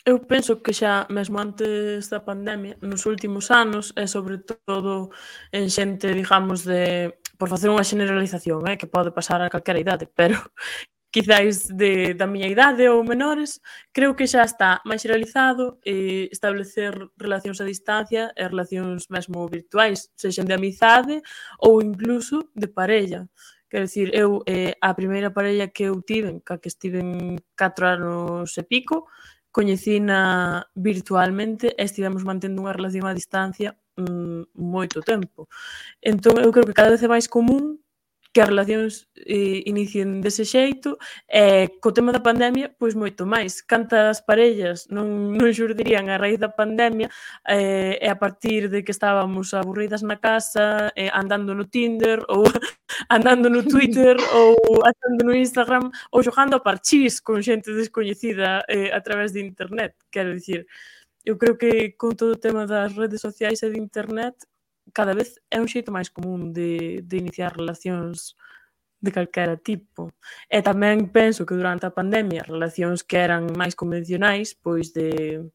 Eu penso que xa mesmo antes da pandemia, nos últimos anos, e sobre todo en xente, digamos, por facer unha generalización, que pode pasar a calquera idade, pero quizáis da miña idade ou menores, creo que xa está máis generalizado establecer relacións a distancia e relacións mesmo virtuais, sexan de amizade ou incluso de parella. Quero dicir, eu, a primeira parella que eu tiven, ca que estiven 4 anos e pico, coñecina virtualmente e estivemos mantendo unha relación a distancia moito tempo. Entón, eu creo que cada vez é máis común que as relacións inicien dese xeito e co tema da pandemia, pois moito máis. Cantas parellas non xurdirían a raíz da pandemia e a partir de que estábamos aburridas na casa, andando no Tinder ou andando no Twitter ou andando no Instagram ou xogando a parchís con xente descoñecida a través de internet. Quero dicir, eu creo que con todo o tema das redes sociais e de internet cada vez é un xeito máis común de iniciar relacións de calquera tipo. E tamén penso que durante a pandemia relacións que eran máis convencionais, pois de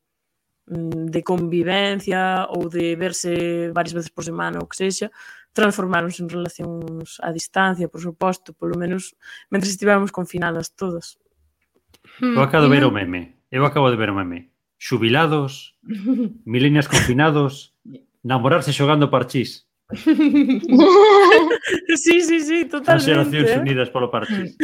convivencia ou de verse varias veces por semana ou que sexa, transformáronse en relacións a distancia, por suposto, polo menos mentre estivemos confinadas todas. Eu acabo de ver o meme. Xubilados, milenias confinados, namorarse xogando parchís. Sí, totalmente. As xeracións unidas polo parchís.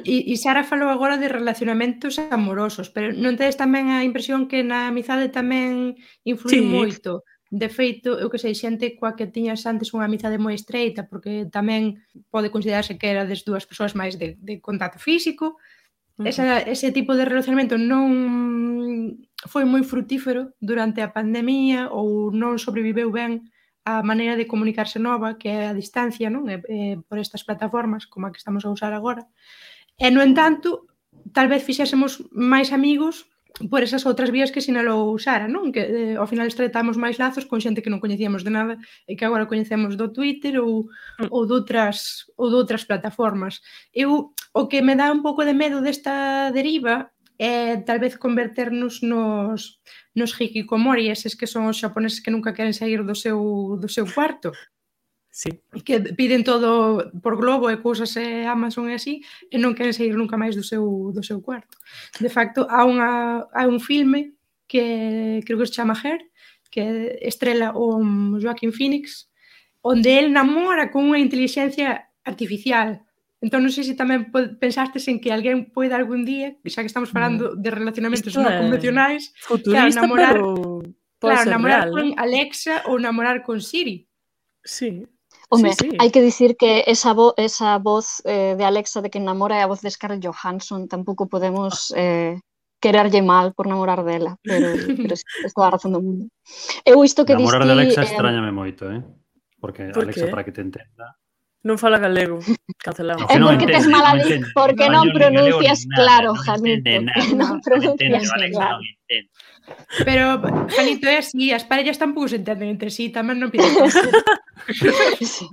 E Sara falou agora de relacionamentos amorosos, pero non tedes tamén a impresión que na amizade tamén influi moito? De feito, eu que sei, xente coa que tiñas antes unha amizade moi estreita, porque tamén pode considerarse que era das dúas persoas máis de contacto físico. Ese tipo de relacionamento non foi moi frutífero durante a pandemia ou non sobreviveu ben a maneira de comunicarse nova, que é a distancia, non? Por estas plataformas como a que estamos a usar agora. E, no entanto, tal vez fixésemos máis amigos por esas outras vías que sinalou Sara, non? Que ao final estreitamos máis lazos con xente que non coñecíamos de nada e que agora coñecemos do Twitter ou doutras plataformas. O que me dá un pouco de medo desta deriva é tal vez converternos nos hikikomori, eses que son os xaponeses que nunca queren sair do seu cuarto. Sí. Que piden todo por Globo e cousas e Amazon e así, e non queren sair nunca máis do seu cuarto. De facto, há un filme que creo que se chama Her, que estrela o Joaquin Phoenix, onde el namora con unha inteligencia artificial. Entón, non sei se tamén pensastes en que alguén poida algún día, xa que estamos falando de relacionamentos non convencionais, futurista, pero pode ser namorar real, con Alexa ou namorar con Siri. Sí. Home, Sí, sí. hai que dicir que esa voz de Alexa de que namora é a voz de Scarlett Johansson. Tampouco podemos quererlle mal por namorar dela, pero sí, es toda a razón do mundo. Eu isto que Namorar de diste... Alexa extrañame moito, Porque Por Alexa, qué? para que te entenda... Non fala galego. Cancelamos. No, que É non porque tes entende, mala non entende. porque Español, non nin galego, pronuncias nin nada, claro, non Janito, entende nada. que non Non entende, pronuncias o Alexa claro. non entende. Pero, Janito, é así, as parellas tampouco se entenden entre sí, tamén non pides tanto. Sí.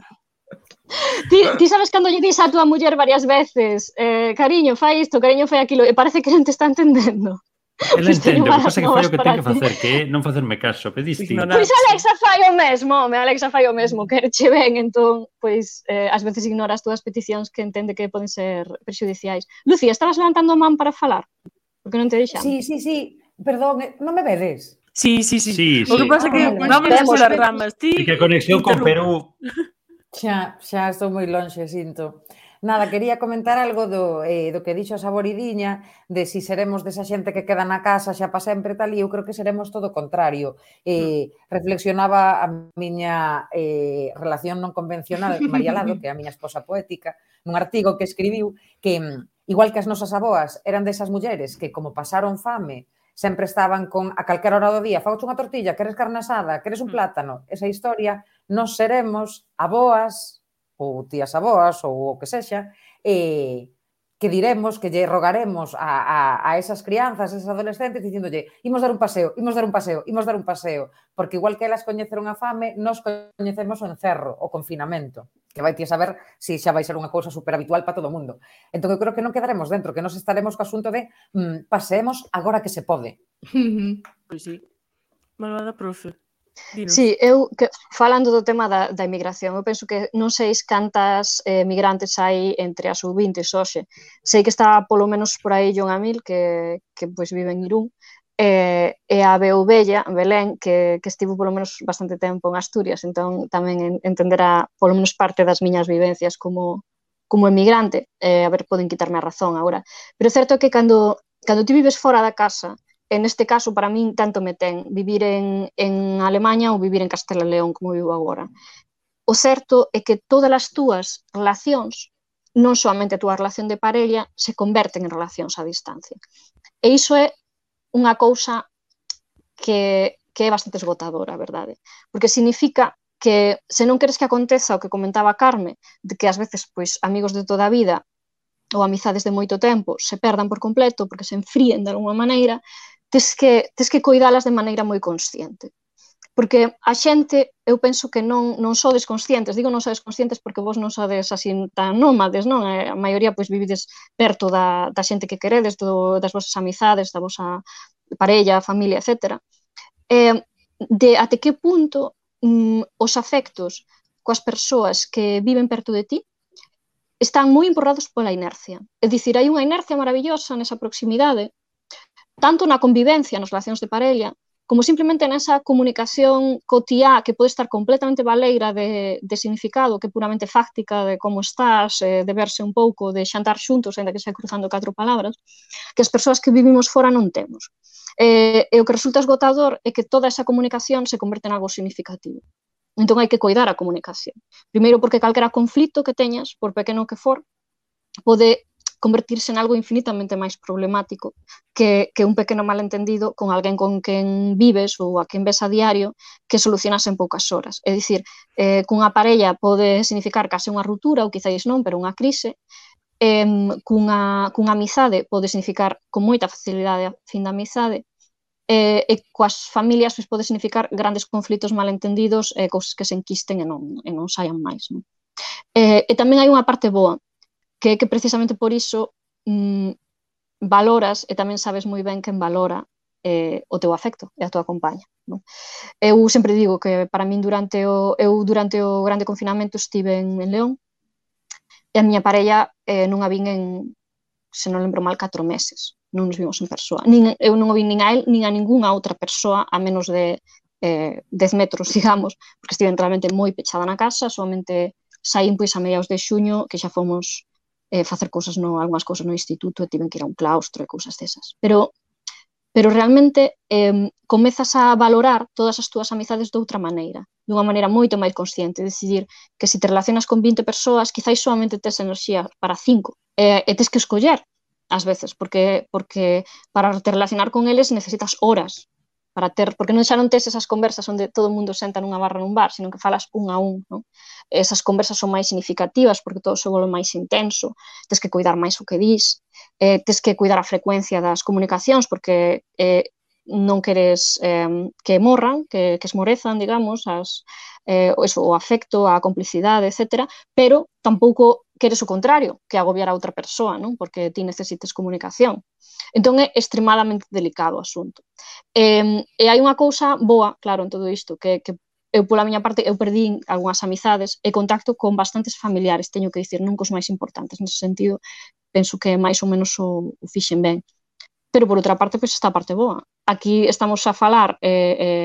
Ti sabes cando lle dis a túa muller varias veces cariño, fai isto, cariño, fai aquilo, e parece que non te está entendendo. Ela Pois teño entende, o que malas pasa é que fai o novas que ten para que ti. facer, que é non facerme caso, que é distinto. Ignorar. Pois Alexa fai o mesmo, Alexa fai o mesmo, quereche ben, entón, pois, ás veces ignora as túas peticións que entende que poden ser prexudiciais. Lucía, estabas levantando a man para falar? Porque non te deixamos. Sí, perdón, non me vedes? Sí. Sí, O que sí. pasa é que Vale. vamos Vemos, polas vemos. ramas. Ti E que a conexión con Perú... Xa estou moi lonxe, sinto. Nada, quería comentar algo do que dixo a Saboridiña, de si seremos desa xente que queda na casa xa pa sempre tal, e eu creo que seremos todo o contrario. Reflexionaba a miña relación non convencional, María Lado, que é a miña esposa poética, nun artigo que escribiu que, igual que as nosas aboas eran desas mulleres que, como pasaron fame, sempre estaban con a calquera hora do día, fauche unha tortilla, queres carne asada, queres un plátano, esa historia, nos seremos aboas ou tías aboas ou o que sexa, que diremos, que lle rogaremos a esas crianzas, esas adolescentes, dicíndolle, imos dar un paseo, porque igual que elas coñeceron a fame, nos coñecemos o encerro, o confinamento, que vai ti a saber se xa vai ser unha cousa superhabitual para todo o mundo. Entón, eu creo que non quedaremos dentro, que nos estaremos co asunto de paseemos agora que se pode. Pois sí. Malvada profe. Dinos. Sí, falando do tema da emigración, eu penso que non sei cantas migrantes hai entre as subintes hoxe. Sei que está polo menos por aí John Amil, que pois vive en Irún, e a Beubella, Belén, que estivo polo menos bastante tempo en Asturias, entón tamén entenderá polo menos parte das miñas vivencias como emigrante. A ver, poden quitarme a razón agora. Pero é certo que cando ti vives fora da casa, en este caso, para min, tanto me ten vivir en Alemanha ou vivir en Castela e León, como vivo agora. O certo é que todas as túas relacións, non soamente a túa relación de parella, se converten en relacións a distancia. E iso é unha cousa que é bastante esgotadora, a verdade. Porque significa que se non queres que aconteza o que comentaba Carme, de que ás veces pois amigos de toda a vida ou amizades de moito tempo se perdan por completo porque se enfríen de alguma maneira, tes que coidalas de maneira moi consciente. Porque a xente, eu penso que non sodes conscientes, digo non sodes conscientes porque vos non sodes así tan nómades, non? A maioría pois vivides perto da xente que queredes, das vosas amizades, da vosa parella, familia, etc. De até que punto os afectos coas persoas que viven perto de ti están moi empurrados pola inercia. É dicir, hai unha inercia maravillosa nesa proximidade, tanto na convivencia, nas relacións de parella, como simplemente nesa comunicación cotiá que pode estar completamente baleira de significado, que é puramente fáctica, de como estás, de verse un pouco, de xantar xuntos, ainda que sea cruzando 4 palabras, que as persoas que vivimos fora non temos. E o que resulta esgotador é que toda esa comunicación se converte en algo significativo. Entón hai que coidar a comunicación. Primeiro porque calquera conflito que teñas, por pequeno que for, pode convertirse en algo infinitamente máis problemático que un pequeno malentendido con alguén con quen vives ou a quen ves a diario que solucionas en poucas horas. É dicir, cunha parella pode significar case unha ruptura ou quizáis non, pero unha crise. Cunha amizade pode significar con moita facilidade a fin da amizade. E coas familias pode significar grandes conflitos malentendidos e cousas que se enquisten e non saian máis. E tamén hai unha parte boa, que precisamente por iso valoras e tamén sabes moi ben quen valora o teu afecto e a tua compaña. Eu sempre digo que para min durante o grande confinamento estive en León e a miña parella non a vin se non lembro mal, 4 meses. Non nos vimos en persoa. Eu non o vi nin a él, nin a ningunha outra persoa a menos de 10 metros, digamos, porque estive realmente moi pechada na casa, solamente saín pois a mediados de xuño, que xa fomos facer algunhas cousas no instituto e tiven que ir a un claustro e cousas desas. Pero pero realmente comezas a valorar todas as túas amizades de outra maneira, dunha maneira moito máis consciente, decidir que se te relacionas con 20 persoas, quizáis solamente tes enerxía para 5, e tes que escoller, ás veces, porque para te relacionar con eles necesitas horas, porque xa non tes esas conversas onde todo o mundo senta nunha barra nun bar, sino que falas un a un, non? Esas conversas son máis significativas porque todo se volve máis intenso, tes que cuidar máis o que dis, tes que cuidar a frecuencia das comunicacións porque non queres que morran, que esmorezan, digamos, o afecto, a complicidade, etc., pero tampouco queres o contrario, que agobiar a outra persoa, non? Porque ti necesites comunicación. Entón é extremadamente delicado o asunto. E hai unha cousa boa, claro, en todo isto, que eu, pola miña parte, eu perdín algunhas amizades e contacto con bastantes familiares, teño que dicir, non cos máis importantes, nese sentido, penso que máis ou menos o fixen ben. Pero, por outra parte, pois está a parte boa. Aquí estamos a falar 3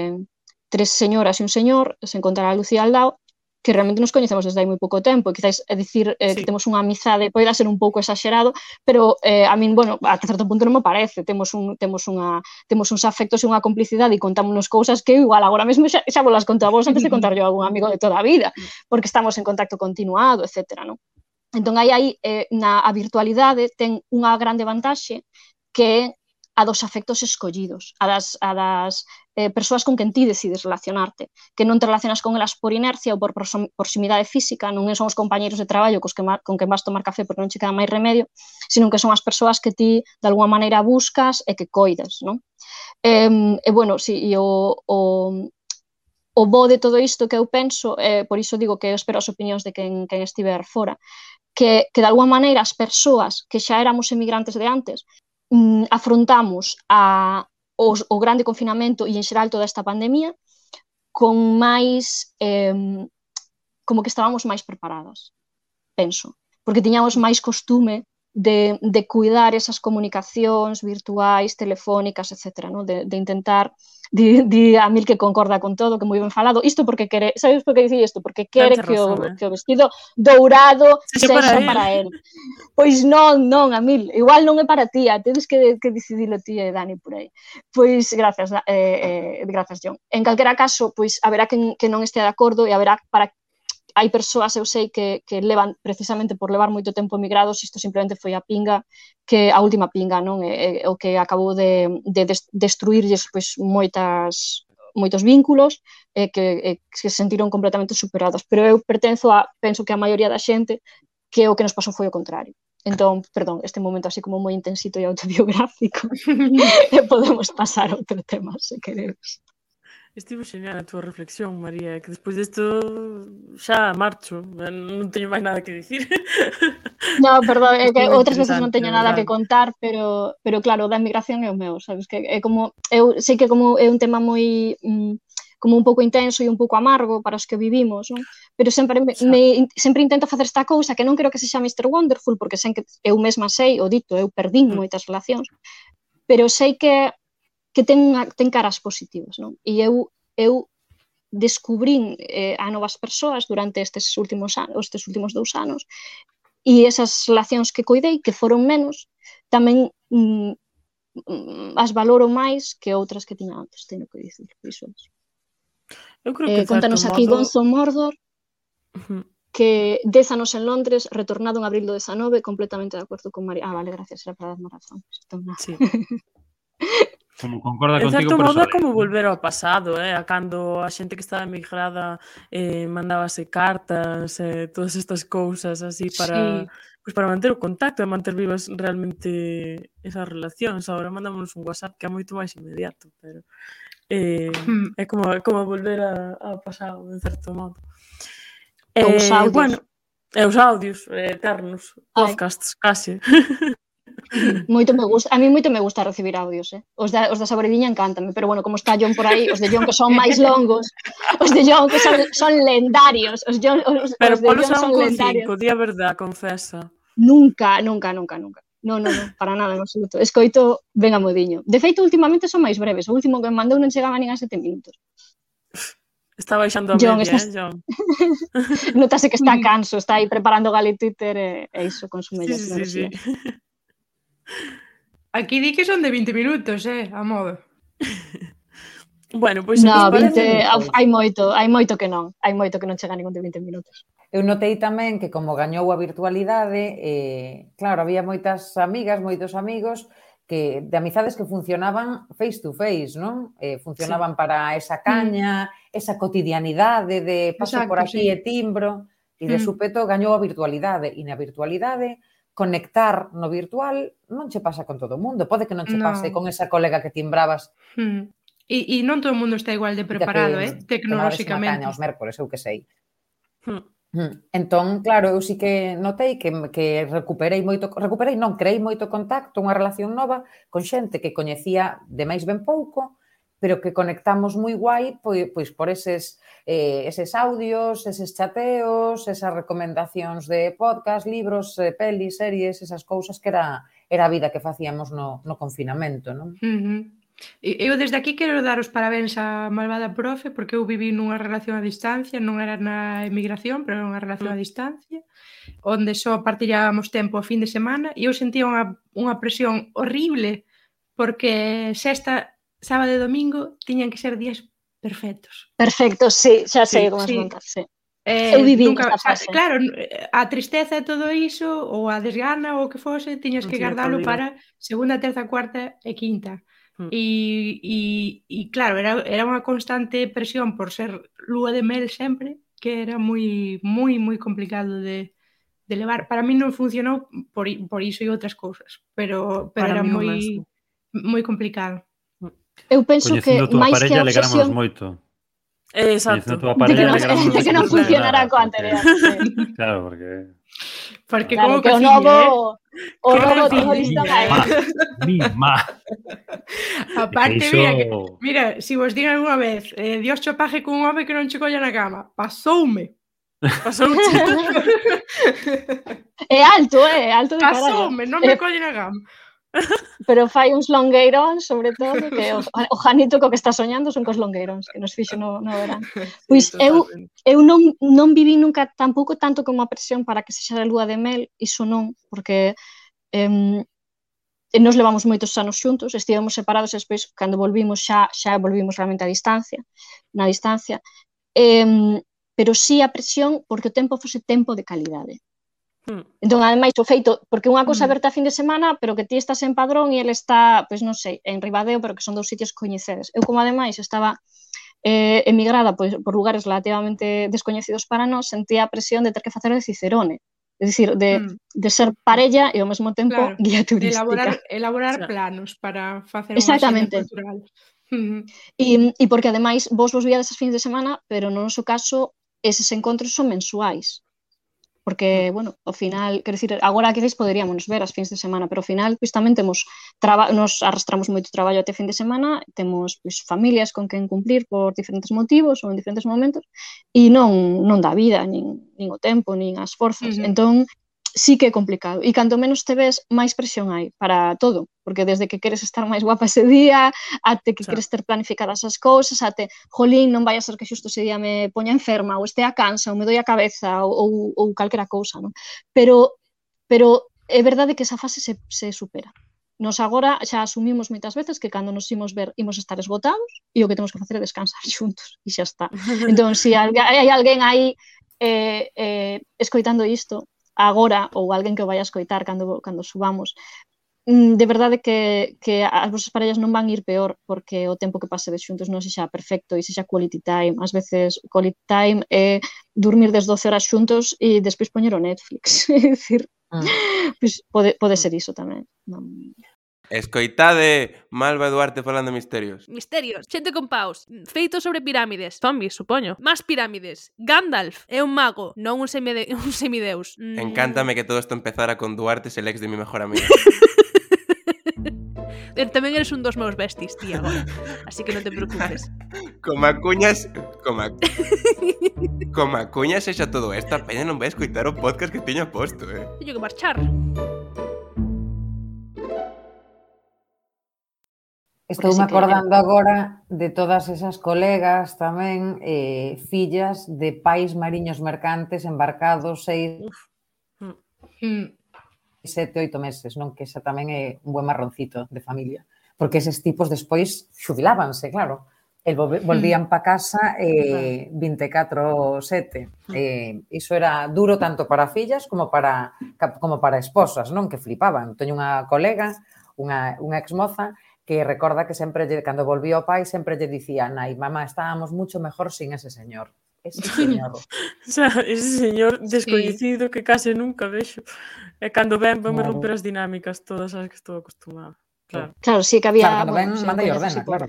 señoras e un señor, se encontrar a Lucía al lado, que realmente nos coñecemos desde hai moi pouco tempo, e quizáis dicir que temos unha amizade poida ser un pouco exagerado, pero a min, bueno, ata certo punto non me parece, temos uns afectos e unha complicidade e contámonos cousas que igual agora mesmo xa vos las conto a vos antes de contar yo a algún amigo de toda a vida, porque estamos en contacto continuado, etc. Non? Entón, aí a virtualidade ten unha grande vantaxe que é a dos afectos escollidos, a das persoas con quen ti decides relacionarte, que non te relacionas con elas por inercia ou por proximidade física, non son os compañeros de traballo con quen vas tomar café porque non che queda máis remedio, sino que son as persoas que ti de alguma maneira buscas e que coides, non? E, bueno, o bo de todo isto que eu penso, por iso digo que eu espero as opinións de quen estiver fora, que de alguma maneira as persoas que xa éramos emigrantes de antes, afrontamos o grande confinamento e en xeral toda esta pandemia con máis como que estábamos máis preparadas, penso, porque tiñamos máis costume de cuidar esas comunicacións virtuais, telefónicas, etc., ¿no? De intentar, di a Mil que concorda con todo, que moi ben falado, isto porque quere, sabes por que dicir isto? Porque quere que o vestido dourado sexa para él. Pois non, a Mil, igual non é para ti, tedes que decidilo ti e Dani por aí. Pois gracias, John. En calquera caso, pois haberá que non este de acordo e haberá para hai persoas, eu sei, que levan, precisamente por levar moito tempo emigrados, isto simplemente foi a pinga, que a última pinga, non? O que acabou de destruirlles pois, moitos vínculos que se sentiron completamente superados. Pero eu penso que a maioría da xente que o que nos pasou foi o contrario. Entón, perdón, este momento así como moi intensito e autobiográfico, e podemos pasar a outro tema, se queredes. Estivo xeñal a túa reflexión, María, que despois disto xa marcho, non teño máis nada que dicir. No, perdón, é que outras veces non teño nada que contar, pero claro, da emigración é o meu, sabes, que é como, eu sei que como é un tema moi como un pouco intenso e un pouco amargo para os que vivimos, non? Pero sempre intento facer esta cousa que non creo que sexa Mr. Wonderful, porque sei que eu mesma sei, o dito, eu perdín moitas relacións, pero sei que ten caras positivas, non? E eu descubrín a novas persoas durante estes últimos 2 anos e esas relacións que coidei, que foron menos, tamén as valoro máis que outras que tiña antes, teño que dicir, iso. Contanos aquí Gonzo Mordor, que 10 anos en Londres, retornado en abril do 19, completamente de acordo con María. Vale, gracias, era para darme razón. Sí. Como concorda contigo, en certo modo é como volver ao pasado, a cando a xente que estaba emigrada mandábase cartas, todas estas cousas así para manter o contacto e manter vivas realmente esas relacións. Agora mandámonos un WhatsApp que é moito máis inmediato, pero é como volver ao pasado, en certo modo. Os audios. Bueno, os audios eternos, podcasts, case. Moito me gusta, a mí moito me gusta recibir audios, os da Saboridiña encántame, pero bueno, como está John por aí, os de John que son máis longos, os de John que son lendarios, os de John son lendarios. Di a verdad, confesa. Nunca. No, para nada, en absoluto. Escoito ben a modiño. De feito, últimamente son máis breves, o último que me mandou non chegaba nin a 7 minutos. Está baixando a media, John. Notase que está canso, está aí preparando Gali Twitter e iso consume enerxía. Sí. Aquí di que son de 20 minutos, a modo. Bueno, pois No, vos 20, parece... hai moito que non chega ningún de 20 minutos. Eu notei tamén que como gañou a virtualidade, claro, había moitas amigas, moitos amigos de amizades que funcionaban face to face, non? Funcionaban para esa caña, esa cotidianidade de paso por aquí e timbro, e de súpeto gañou a virtualidade, e na virtualidade conectar no virtual non che pasa con todo o mundo, pode que non che pase con esa colega que timbrabas. E non todo o mundo está igual de preparado, tecnolóxicamente. Tomabas unha caña os mércores, eu que sei. Entón, claro, eu sí que notei que creei moito contacto, unha relación nova con xente que coñecía de máis ben pouco, pero que conectamos moi guai pois por eses audios, eses chateos, esas recomendacións de podcast, libros, pelis, series, esas cousas que era a vida que facíamos no confinamento, non? Eu desde aquí quero dar os parabéns á malvada profe porque eu viví nunha relación a distancia, non era na emigración, pero era unha relación a distancia, onde só partillábamos tempo a fin de semana e eu sentía unha presión horrible porque sexta, sábado e domingo tiñan que ser días perfectos. Perfectos, sí, xa sei como as montas, sí. Eu viví esta fase. Claro, a tristeza e todo iso, ou a desgana ou o que fose, tiñas que guardalo para segunda, terza, cuarta e quinta. E claro, era unha constante presión por ser lúa de mel sempre, que era moi complicado de levar. Para mí non funcionou por iso e outras cousas, pero era moi complicado. Eu penso que máis que a obsesión... moito. Exacto. De que non funcionará co anterior. Claro, porque claro, que o novo todo listo aí. Aparte, mira, se vos digan algunha vez, Dios cho paje cun home que non che colla na cama. Pasoume. É alto de carallo. Pasoume, non me colle na cama. Pero fai uns longueiróns, sobre todo, que o Janito co que está soñando son cos longueiróns, que nos fixo no verán. Pois eu non viví nunca tampouco tanto como a presión para que sexa a lúa de mel, iso non, porque nos levamos moitos anos xuntos, estivemos separados e despois, cando volvimos, xa volvimos realmente na distancia, pero sí a presión porque o tempo fose tempo de calidade. Entón, ademais, o feito, porque unha cousa verte a fin de semana, pero que ti estás en Padrón e ele está, pois non sei, en Ribadeo, pero que son dous sitios que coñecedes. Eu, como ademais estaba emigrada por lugares relativamente descoñecidos para nós, sentía a presión de ter que facer de Cicerone, é dicir, de ser parella e ao mesmo tempo guía turística. Elaborar planos para facer unha xenda cultural. E porque ademais vos víades as fins de semana, pero no noso caso eses encontros son mensuais. Porque, bueno, ao final, quero dicir, agora quizás poderíamos ver as fins de semana, pero ao final, pois tamén nos arrastramos moito traballo até fin de semana, temos pois familias con quen cumplir por diferentes motivos ou en diferentes momentos, e non dá vida, nin o tempo, nin as forzas. Entón, sí que é complicado. E canto menos te ves, máis presión hai para todo. Porque desde que queres estar máis guapa ese día, até que queres ter planificadas as cousas, até, jolín, non vai a ser que xusto ese día me poña enferma, ou estea cansa, ou me doi a cabeza, ou calquera cousa, non? Pero é verdade que esa fase se supera. Nos agora xa asumimos moitas veces que cando nos imos ver imos estar esgotados e o que temos que facer é descansar xuntos, e xa está. Entón, se hai alguén aí escoitando isto, agora, ou alguén que o vai a escoitar cando subamos, de verdade que as vosas parellas non van ir peor porque o tempo que pasedes xuntos non sexa perfecto e sexa quality time. Ás veces quality time é dormir 12 horas xuntos e despois poñer o Netflix. É dicir, pode ser iso tamén. Escoitade Malva Duarte falando misterios. Misterios, xente con paus, feitos sobre pirámides, zombies, supoño, máis pirámides. Gandalf é un mago, non un semideus. Encántame que todo isto empezara con Duarte, el ex de mi mejor amiga. Tamén eres un dos meus besties, tía, agora. Así que non te preocupes. Como a cuñas sexa todo isto, a peña non vai escoitar o podcast que teño posto, Teño que marchar. Estou me acordando agora de todas esas colegas tamén, fillas de pais mariños mercantes embarcados 7, 8 meses, non? Que xa tamén é un buen marroncito de familia. Porque eses tipos despois xubilábanse, claro. Volvían pa casa 24/7. Iso era duro tanto para fillas como para esposas, non? Que flipaban. Teño unha colega, unha exmoza, que recorda que sempre, cando volvía o pai, sempre lle dicía: nai, mamá, estábamos mucho mejor sin ese señor. Ese señor. O sea, ese señor descoñecido que case nunca vexo. E cando ven, me romper as dinámicas todas as que estou acostumada. Claro, sí que había... Claro, cando ven, manda e ordena, claro.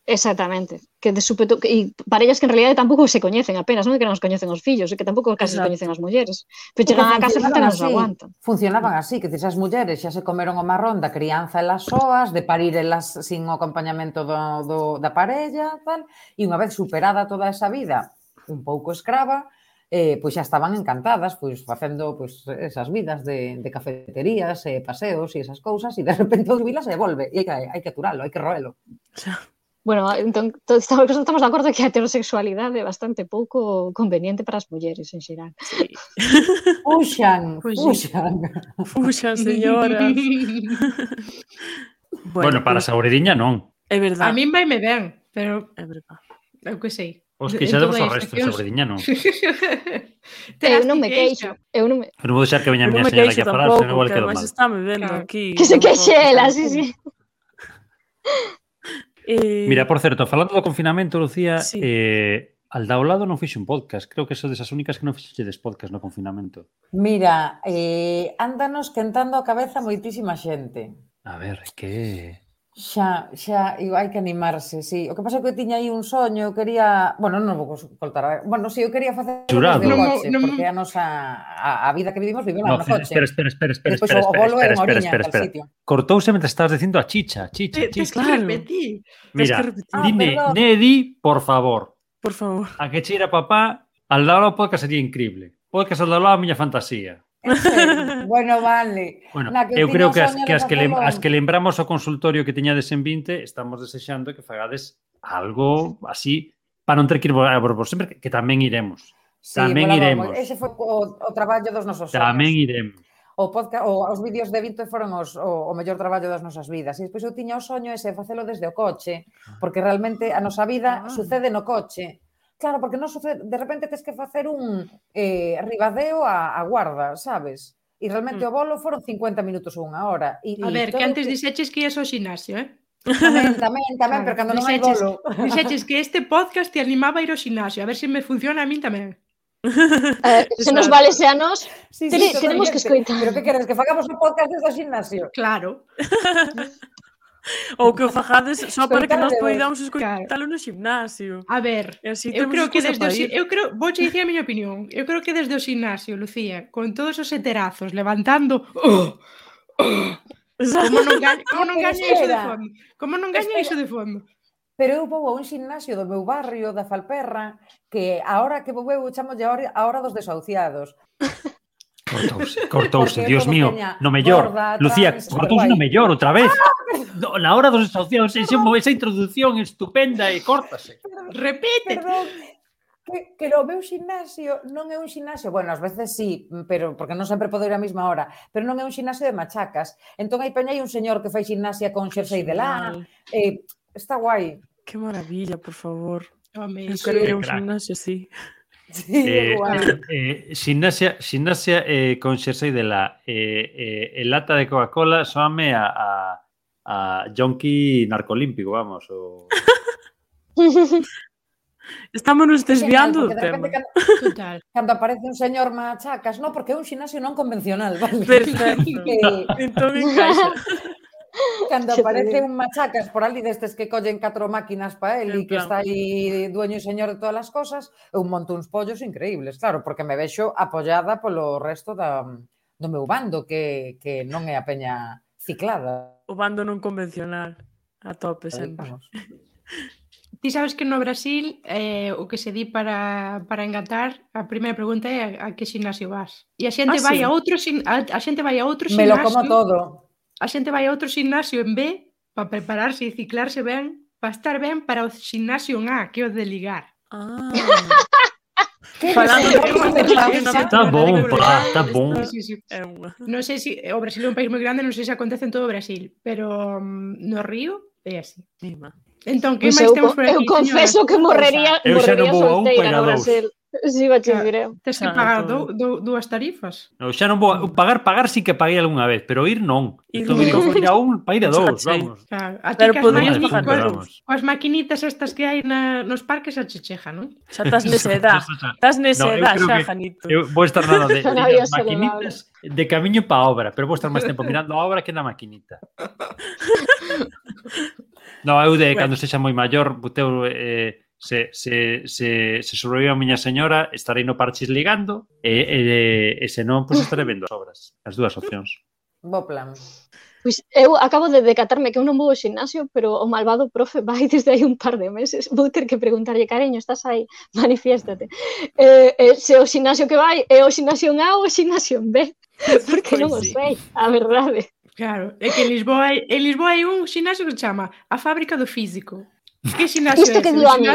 Exactamente. Que de súpeto, e parellas que en realidad tampouco se coñecen apenas, non é que non os coñecen os fillos, é que tampouco case se coñecen as mulleres. Pero chegan a casa e non se aguantan. Funcionaban así, que as mulleres xa se comeron o marrón da crianza elas soas, de parir elas sin o acompañamento da parella, tal, e unha vez superada toda esa vida un pouco escrava, pois xa estaban encantadas, pois facendo pois esas vidas de cafeterías, paseos e esas cousas, e de repente o jubilas e volve, e hai que aturalo, hai que roelo. Bueno, entón, estamos de acordo que a heterosexualidade é bastante pouco conveniente para as mulleres, en xeral. Sí. Fuxan, señoras. Bueno, para a saborediña non. É verdade. A min vai me ben, pero é verdade. Eu que sei. Os queixademos ao resto, saborediña non. Eu non me queixo. Eu non vou deixar que veña a miña señora aquí a falar, senón igual quedo mal. Está me vendo aquí. Que se queixe ela, sí. Mira, por certo, falando do confinamento, Lucía, Alda ao lado non fixe un podcast. Creo que son desas únicas que non fixedes podcast no confinamento. Mira, ándanos quentando a cabeza moitísima xente. A ver, que... Xa, hai que animarse, sí. O que pasa é que eu tiña aí un soño, eu quería... Bueno, non vou contar... Bueno, sí, eu quería facer Jurado. desde o coche, porque a nosa... A vida que vivimos no coche. Espera. Cortouse mentre estabas dicindo a chicha. Tens que repetir. Mira, dime, Nedi, por favor. Por favor. A que cheira papá, al lado do podcast sería increíble. Podcast al lado a miña fantasía. Bueno, vale. Bueno, eu creo que as que lembramos o consultorio que tiñades en 20 estamos desexando que fagades algo así para non ter que ir por sempre, que tamén iremos. Sí, tamén iremos. Ese foi o traballo dos nosos sonhos. Tamén iremos. O podcast, os vídeos de 20 foron o mellor traballo das nosas vidas. E despois eu tiña o soño ese de facelo desde o coche, porque realmente a nosa vida sucede no coche. Claro, porque non sucede, de repente tens que facer un Ribadeo a Guarda, sabes? E realmente o bolo foron 50 minutos ou unha hora. A ver, que antes dixeches que ias ao xinasio, Tamén, pero cando non hai bolo. Dixeches que este podcast te animaba a ir ao xinasio, a ver se me funciona a min tamén. Se nos vale a nós, tenemos que escoitar. Pero que queres, que fagamos un podcast desde o xinasio? Claro. Ou que o fajades só para que nós poidamos escoitalo no ximnasio. A ver, eu creo que vouche dicir a miña opinión. Eu creo que desde o ximnasio, Lucía, con todos os heterazos levantando, como non gaña iso de fondo? Como non gaña iso de fondo? Pero eu vou a un ximnasio do meu barrio, da Falperra, que a hora que vou eu chamolle a hora dos desahuciados. Cortouse, Dios mío, no mellor. Lucía, cortouse no mellor outra vez. Na hora dos desahuciados, esa introducción estupenda e córtase. Repite. Perdón, que o meu ximnasio non é un ximnasio, bueno, ás veces sí, pero porque non sempre podo ir a mesma hora, pero non é un ximnasio de machacas. Entón aí peña hai un señor que fai ximnasia con xersei de lá. Está guai. Que maravilla, por favor. Eu quero ir a un ximnasio así. Ximnasia con xersei de la lata de Coca-Cola soame a Jonqui narcolímpico, vamos. Estámonos desviando do tema. Cando aparece un señor machacas, non, porque é un ximnasio non convencional, vale? Perfecto. Entón encaixa. Cando aparece un machacas por ali destes que collen 4 máquinas para el e que está aí dueño e señor de todas as cosas, eu monto uns pollos increíbles, claro, porque me vexo apoiada polo resto do meu bando, que non é a peña ciclada. O bando non convencional, a tope sempre. Ti sabes que no Brasil o que se di para engatar, a primeira pregunta é a que ximnasio vas. E a xente vai a outro ximnasio. Me lo como todo. A xente vai a outro ximnasio en B para prepararse e ciclarse ben, para estar ben para o ximnasio en A, que é o de ligar. Está bom, pá, está bom. Non sei se o Brasil é un país moi grande, non sei se acontece en todo o Brasil, pero no Río é así. Entón, que máis temos por aquí? Eu confeso que morrería solteira no Brasil. Si, bache direu. Tes que pagar dúas tarifas. No, xa non vou pagar sí que paguei algunha vez, pero ir non. Estou ir a un, para ir a dous, vamos. A ti coas maquinitas estas que hai nos parques a checheja, non? Xa estás nesa edad. Estás nesa edad xa, Janito. Eu vou estar nada de maquinitas de camiño pa obra, pero vou estar máis tempo mirando a obra que na maquinita. No, eu de cando sexa moi maior, boteu se sobrevive a miña señora, estarei no parchis ligando e se non, pois estarei vendo as obras. As dúas opcións. Bo plan. Pois eu acabo de decatarme que eu non vou ao gimnasio, pero o malvado profe vai desde hai un par de meses. Vou ter que preguntarlle, cariño, estás aí? Manifiéstate. Se o gimnasio que vai é o gimnasio en A ou o gimnasio en B, porque non o sei, a verdade. Claro, é que en Lisboa hai un gimnasio que se chama a Fábrica do Físico. Que xinasio isto que digo a mí,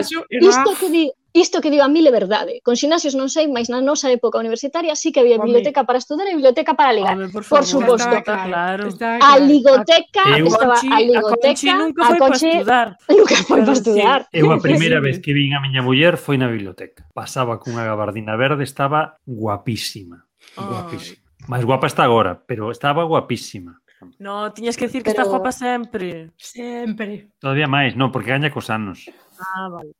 isto que digo a mí é verdade. Con xinasios non sei, mas na nosa época universitaria sí que había biblioteca para estudar e biblioteca para ligar. Por suposto. A ligoteca, estaba a ligoteca, a Conchi nunca foi para estudar. Eu a primeira vez que vin a miña muller foi na biblioteca. Pasaba cunha gabardina verde, estaba guapísima. Guapísima. Máis guapa está agora, pero estaba guapísima. No, tiñas que decir que está guapa sempre. Sempre. Todavía máis, non, porque gaña cos anos. Vale.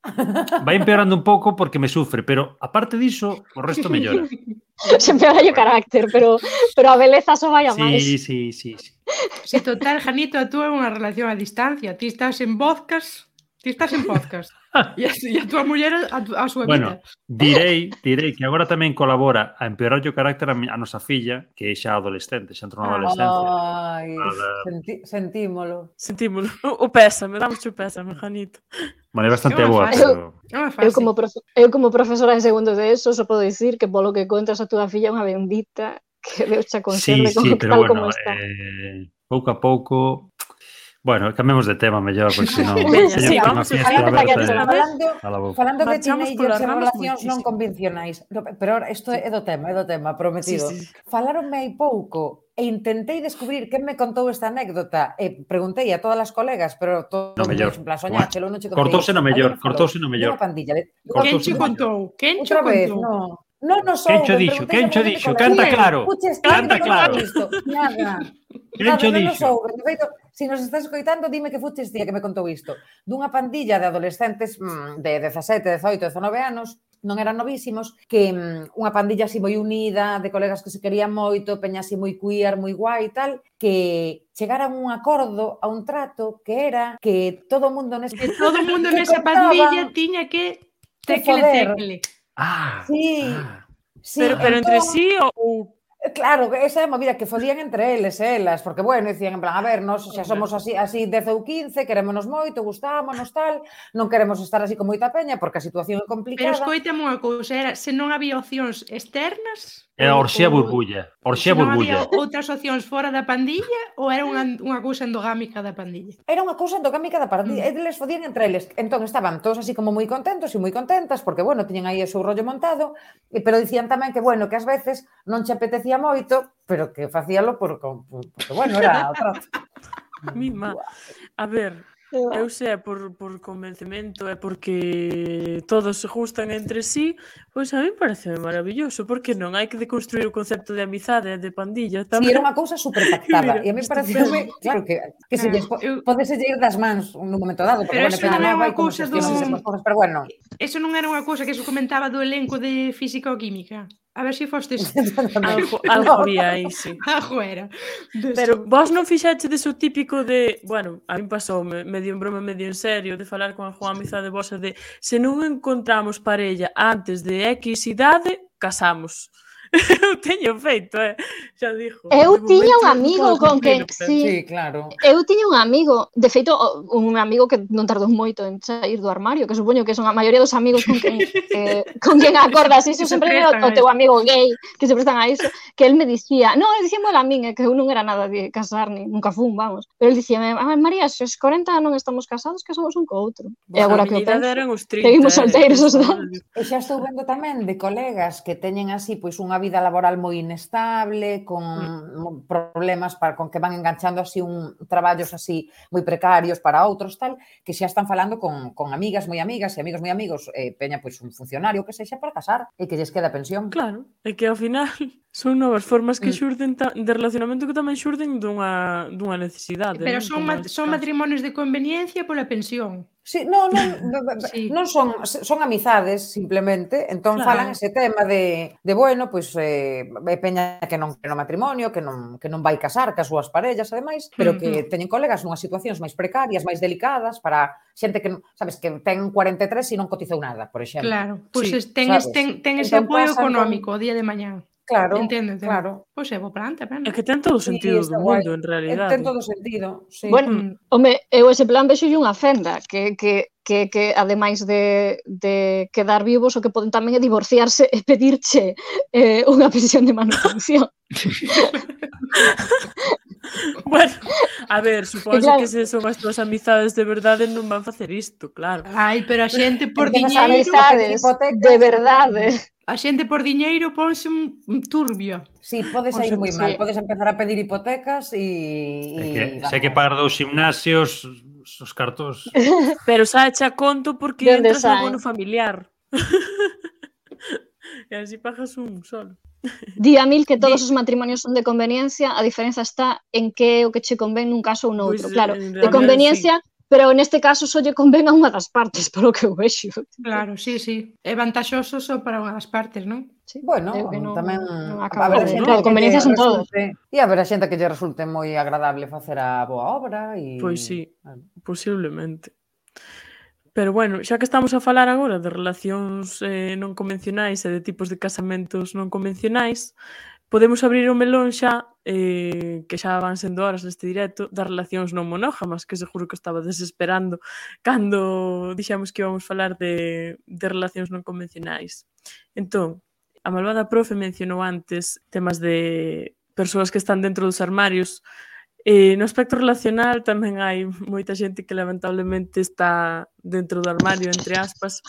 Vai empeorando un pouco porque me sufre, pero aparte diso, o resto mellora. Se empeora o carácter, pero a beleza só vai a máis. Sí. Se total, Janito, a túa é unha relación a distancia. Ti estás en podcast. E a túa muller a súa vida. Bueno, direi que agora tamén colabora a empeorar o carácter a nosa filla, que é xa adolescente, xa entrou na adolescencia. Ai, sentímolo. O pésame, damos o pésame, Janito. Vale, bastante boa, pero... Eu como profesora de segundo de eso, só podo dicir que polo que contas a túa filla é unha bendita que Deus xa conserve pero tal como está. Pouco a pouco... Bueno, cambiemos de tema mellor, porque senón... Falando de teenagers e relacións non convencionais, pero isto é do tema, prometido. Falaronme hai pouco e intentei descubrir quen me contou esta anécdota e preguntei a todas as colegas, pero todo no mellor. Soñáchelo, non che contei. Cortouse no mellor. Quen che contou? Non nos souben. Quen cho dixo? Canta claro. Nada. Non nos souben. De feito, se nos estás escoitando, dime que fuches día que me contou isto. Dunha pandilla de adolescentes de 17, 18, 19 anos, non eran novísimos, que unha pandilla así moi unida, de colegas que se querían moito, peña así moi queer, moi guai e tal, que chegaran a un acordo, a un trato, que era que todo o mundo nesa pandilla tiña que tecle. Sí. Pero entre sí ou... Claro, esa é a movida que fodían entre eles e elas, porque, bueno, dicían en plan, a ver, nos xa somos así 10 ou 15, querémonos moito, gustámonos, tal, non queremos estar así con moita peña, porque a situación é complicada. Pero escoitame unha cousa, era, se non había opcións externas... Era orxía burbulla. Se non había outras opcións fora da pandilla ou era unha cousa endogámica da pandilla? Era unha cousa endogámica da pandilla, eles fodían entre eles. Entón estaban todos así como moi contentos e moi contentas, porque, bueno, tiñan aí o seu rollo montado, pero dicían tamén que, bueno, que ás veces non che apetecía moito, pero que facíalo porque bueno, era outra. Mima, a ver, eu sei por convencemento e porque todos se gustan entre sí, pois a mí parece maravilloso, porque non hai que deconstruir o concepto de amizade e de pandilla tamén. Si, era unha cousa super pactada, e a mí parece claro que se podese ir das mans nun momento dado, pero eso non é unha cousa pero bueno. Eso non era unha cousa que se comentaba do elenco de física ou química. A ver se fostes... Algo había aí, sí. Algo era. Pero vos non fixachedes o típico de... Bueno, a mí pasoume medio en broma, medio en serio, de falar con a Juan amizade vosa de se non encontramos parella antes de X idade, casamos. Eu teño feito, xa dixo. Eu tiña un amigo con quen... Sí, claro. Eu tiña un amigo, de feito, un amigo que non tardou moito en sair do armario, que supoño que son a maioría dos amigos con quen acordas iso, sempre o teu amigo gay, que se prestan a iso, que él me dicía, non, ele dicíame a min, que eu non era nada de casar, ni nunca fun, vamos, pero ele dicía, María, se os 40 non estamos casados, que somos un co outro. E agora que o penso, seguimos solteiros os dous. E xa estou vendo tamén de colegas que teñen así pois unha vida laboral moi inestable, con problemas con que van enganchando así traballos así moi precarios para outros, tal, que xa están falando con amigas moi amigas e amigos moi amigos, peña pois un funcionario que sexa para casar e que lles queda pensión. Claro, é que ao final son novas formas que xurden de relacionamento que tamén xurden dunha necesidade. Pero son matrimonios de conveniencia pola pensión. Sí, non son amizades, simplemente, entón falan ese tema de bueno, pois peña que non quere matrimonio, que non vai casar cas súas parellas, ademais, pero que teñen colegas nunhas situacións máis precarias, máis delicadas, para xente que, sabes, que ten 43 e non cotizou nada, por exemplo. Claro, pois ten ese apoio económico o día de mañán. Claro, entendo. Claro. Pois é bo plan tamén. É que ten todo o sentido do mundo, en realidade. Ten todo o sentido, sí. Bueno, home, eu ese plan vexo unha fenda, que ademais de quedar vivos, o que poden tamén é divorciarse e pedirche unha pensión de manutención. Bueno, a ver, suponse que se son as túas amizades de verdade non van facer isto, claro. Ai, pero a xente por diñeiro... Amizades de verdade. A xente por diñeiro ponse un turbio. Sí, pode sair moi mal. Podes empezar a pedir hipotecas e... Se hai que pagar 2 gimnasios, os cartos... Pero xa echa conto porque entras no bono familiar. E así pagas un solo. Di a mil que todos os matrimonios son de conveniencia, a diferenza está en que é o que che convén nun caso ou noutro. Claro, de conveniencia... Pero neste caso só lle convén a unha das partes, polo que eu vexo. Claro, sí. É vantaxoso só para unha das partes, non? Sí. Bueno, tamén... Claro, conveniencias son todos. E haberá xente que lle resulte moi agradable facer a boa obra. Pois sí, posiblemente. Pero bueno, xa que estamos a falar agora de relacións non convencionais e de tipos de casamentos non convencionais, podemos abrir o melón xa, que xa van sendo horas neste directo, das relacións non monógamas, que seguro que estaba desesperando cando dixemos que íbamos falar de relacións non convencionais. Entón, a malvada profe mencionou antes temas de persoas que están dentro dos armarios. No aspecto relacional tamén hai moita xente que lamentablemente está dentro do armario, entre aspas,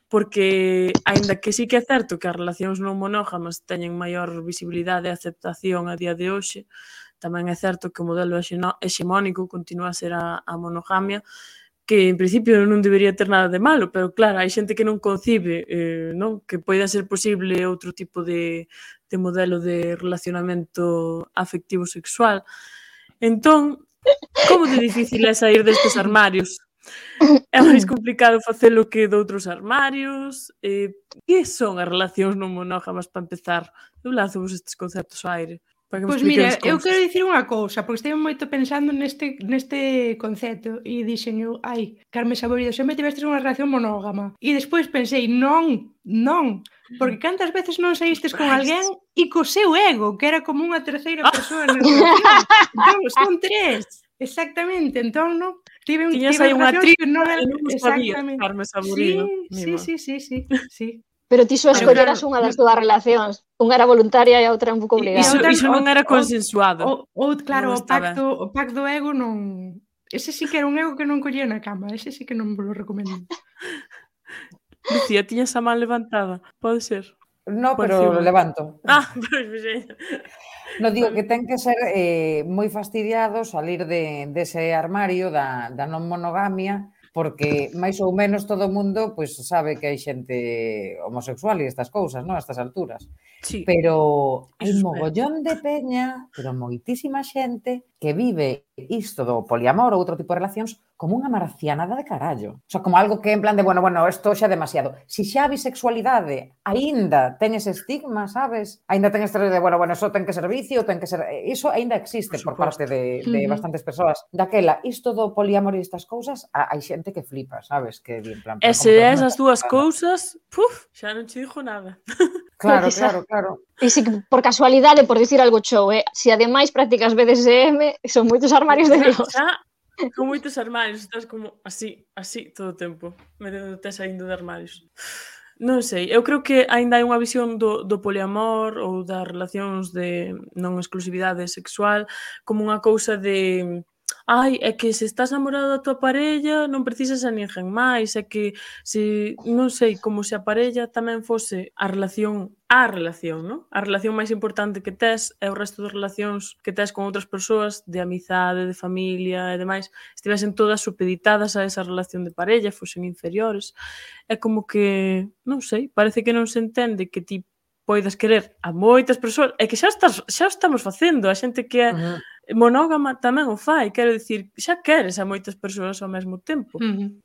porque, aínda que sí que é certo que as relacións non monógamas teñen maior visibilidade e aceptación a día de hoxe, tamén é certo que o modelo hexemónico continúa a ser a monogamia, que en principio non debería ter nada de malo, pero claro, hai xente que non concibe que poida ser posible outro tipo de modelo de relacionamento afectivo sexual. Entón, como de difícil é sair destes armarios? É máis complicado facelo que doutros armarios? Que son as relacións non monógamas para empezar? Eu lanzo vos estes conceptos ao aire. Pois mira, eu quero dicir unha cousa, porque estive moito pensando neste concepto e dixen eu, Carme Saborido, sempre tivestes unha relación monógama. E despois pensei, non, porque cantas veces non saístes con alguén e co seu ego, que era como unha terceira persoa na relación. Entón, son 3. Exactamente, entón, non? Tiñas aí unha tripa que non sabía, Carme Saborido. Sí. Pero ti só escolleras unha das túas relacións. Unha era voluntaria e a outra un pouco obligada. Iso non era consensuado. Claro, o pacto do ego non... Ese sí que era un ego que non collía na cama. Ese sí que non vos lo recomendo. Lucía, tiñas a man levantada. Pode ser? No, pero lo levanto. Pois non digo que ten que ser moi fastidiado salir dese armario da non monogamia, porque máis ou menos todo o mundo pois sabe que hai xente homosexual e estas cousas, non? A estas alturas. Sí. Pero hai mogollón de peña, pero moitísima xente que vive isto do poliamor ou outro tipo de relacións como unha marcianada de carallo. O sea, como algo que en plan de, bueno, isto xa é demasiado. Si xa a bisexualidade aínda ten ese estigma, sabes? Aínda ten este de, bueno, eso ten que ser vicio, ten que ser... Iso aínda existe por parte de bastantes persoas. Daquela, isto do poliamor e estas cousas, hai xente que flipa, sabes? Que di en plan... E se esas dúas cousas, xa non che dixo nada. Claro, Precisa. claro. E se por casualidade, por dicir algo chou, se ademais practicas BDSM, son moitos armarios de Dios. Con moitos armarios, estás como así todo o tempo, metendo-te saindo de armarios. Non sei, eu creo que aínda hai unha visión do poliamor ou das relacións de non exclusividade sexual como unha cousa de é que se estás namorado da tua parella non precisas a ninguén máis, é que se, non sei, como se a parella tamén fose a relación, non? A relación máis importante que tes é o resto das relacións que tes con outras persoas de amizade, de familia e demais, estivesen todas supeditadas a esa relación de parella, fosen inferiores. É como que, non sei, parece que non se entende que ti poidas querer a moitas persoas, é que xa o estamos facendo, a xente que é monógama tamén o fai, quero dicir, xa queres a moitas persoas ao mesmo tempo.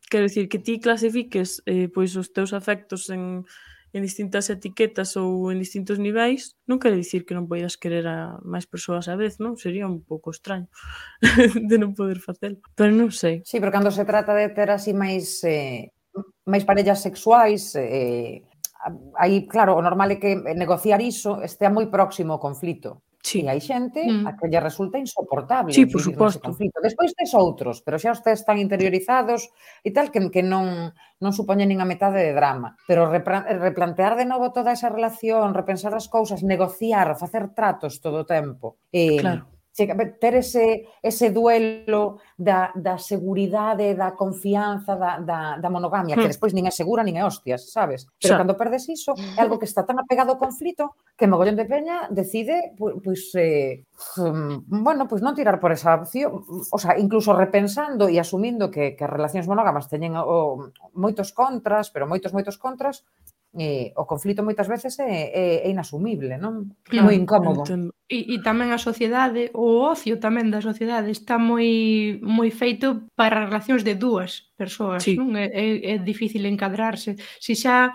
Quero dicir, que ti clasifiques pois os teus afectos en distintas etiquetas ou en distintos niveis, non quere dicir que non poidas querer a máis persoas á vez, non? Sería un pouco extraño de non poder facelo, pero non sei. Sí, pero cando se trata de ter así máis parellas sexuais, aí, claro, o normal é que negociar iso estea moi próximo ao conflito. Sí. E hai xente a que lle resulta insoportable por vivir suposto. nese conflito. Despois tes outros, pero xa os tes tan interiorizados e tal que non supoñen nin a metade de drama. Pero replantear de novo toda esa relación, repensar as cousas, negociar, facer tratos todo o tempo. Claro. Ter ese duelo da seguridade, da confianza, da monogamia, que despois nin é segura nin é hostias, sabes? Pero cando perdes iso, é algo que está tan apegado ao conflito que mogollón de peña decide, pois non tirar por esa opción, o sea, incluso repensando e asumindo que as relacións monógamas teñen moitos contras, pero moitos contras, o conflito moitas veces é inasumible, non? É moi incómodo. E tamén a sociedade, o ocio tamén da sociedade está moi feito para relacións de dúas persoas, non? É difícil encadrarse. Se xa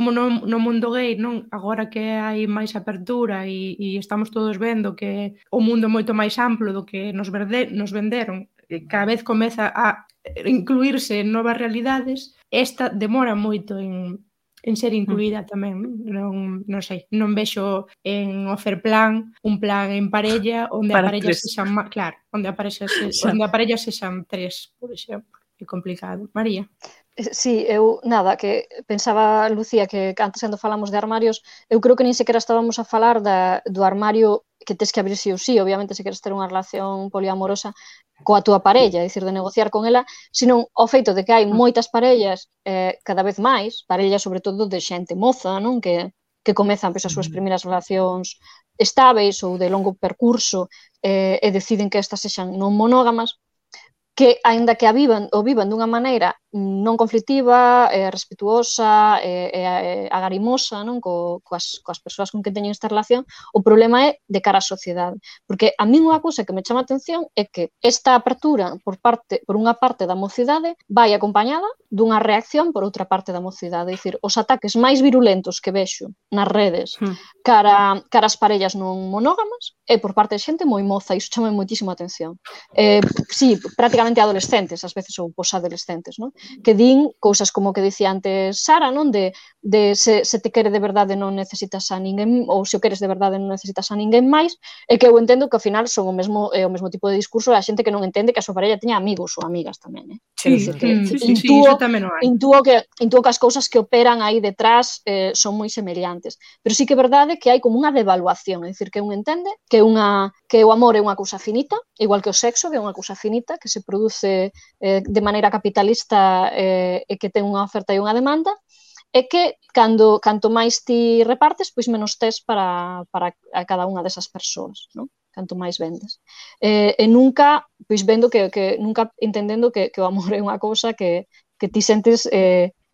no mundo gay, non, agora que hai máis apertura e estamos todos vendo que o mundo é moito máis amplo do que nos venderon, cada vez comeza a incluirse en novas realidades, esta demora moito en ser incluída tamén, non sei, non vexo en Offerplan un plan en parella onde a parella sexan, claro, onde a parella sexan 3, por exemplo. É complicado. María? Sí, eu, nada, que pensaba, Lucía, que antes cando falamos de armarios, eu creo que nin sequera estábamos a falar do armario que tes que abrir sí ou sí, obviamente se queres ter unha relación poliamorosa coa túa parella, é dicir, de negociar con ela, senón ao feito de que hai moitas parellas, cada vez máis, parellas sobre todo de xente moza, non, que comezan as súas primeiras relacións estáveis ou de longo percurso e deciden que estas sexan non monógamas, que, aínda que o vivan dunha maneira non conflictiva, respetuosa, agarimosa, non, coas persoas con que teñen esta relación, o problema é de cara á sociedade. Porque a min unha cousa que me chama a atención é que esta apertura por unha parte da mocidade vai acompañada dunha reacción por outra parte da mocidade. É dicir, os ataques máis virulentos que vexo nas redes cara as parellas non monógamas é por parte de xente moi moza, e iso chama moitísimo a atención. Sí, prácticamente adolescentes, ás veces, ou posadolescentes, non? Que din cousas como que dicía antes Sara, non? De se te quere de verdade non necesitas a ninguén, ou se o queres de verdade non necesitas a ninguén máis, e que eu entendo que ao final son o mesmo tipo de discurso da xente que non entende que a súa parella teña amigos ou amigas tamén, Sí, iso tamén non hai. Intuo que as cousas que operan aí detrás son moi semellantes, pero sí que é verdade que hai como unha devaluación, é dicir, que un entende que o amor é unha cousa finita, igual que o sexo, que é unha cousa finita, que se produce de maneira capitalista e que ten unha oferta e unha demanda, é que canto máis ti repartes, pois menos tes para cada unha desas persoas, non? Canto máis vendes. E nunca, pois vendo nunca entendendo que o amor é unha cousa que ti sentes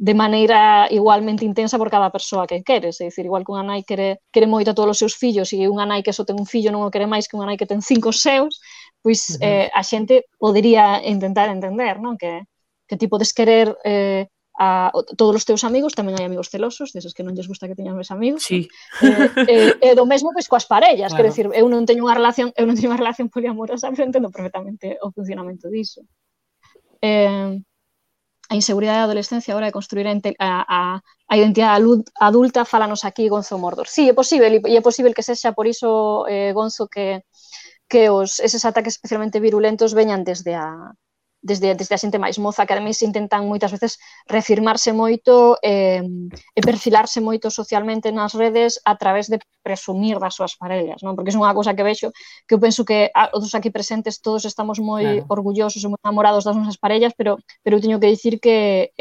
de maneira igualmente intensa por cada persoa que queres. É dicir, igual que unha nai quere moito a todos os seus fillos e unha nai que só ten un fillo non o quere máis que unha nai que ten 5 seus, pois a xente podería intentar entender, non? Que ti podes querer a todos os teus amigos, tamén hai amigos celosos, deses que non lles gusta que teñan máis amigos. Sí. E do mesmo pois coas parellas, quero dicir, eu non teño unha relación poliamorosa, pero entendo perfectamente o funcionamento diso. a inseguridade da adolescencia a hora de construir a identidade adulta, fálanos aquí Gonzo Mordor. Sí, é posible, e é posible que sexa por iso, Gonzo, que eses ataques especialmente virulentos veñan desde a xente máis moza, que ademais intentan moitas veces reafirmarse moito e perfilarse moito socialmente nas redes a través de presumir das súas parellas, non? Porque é unha cousa que vexo, que eu penso que os aquí presentes todos estamos moi orgullosos e moi enamorados das nosas parellas, pero eu teño que dicir que,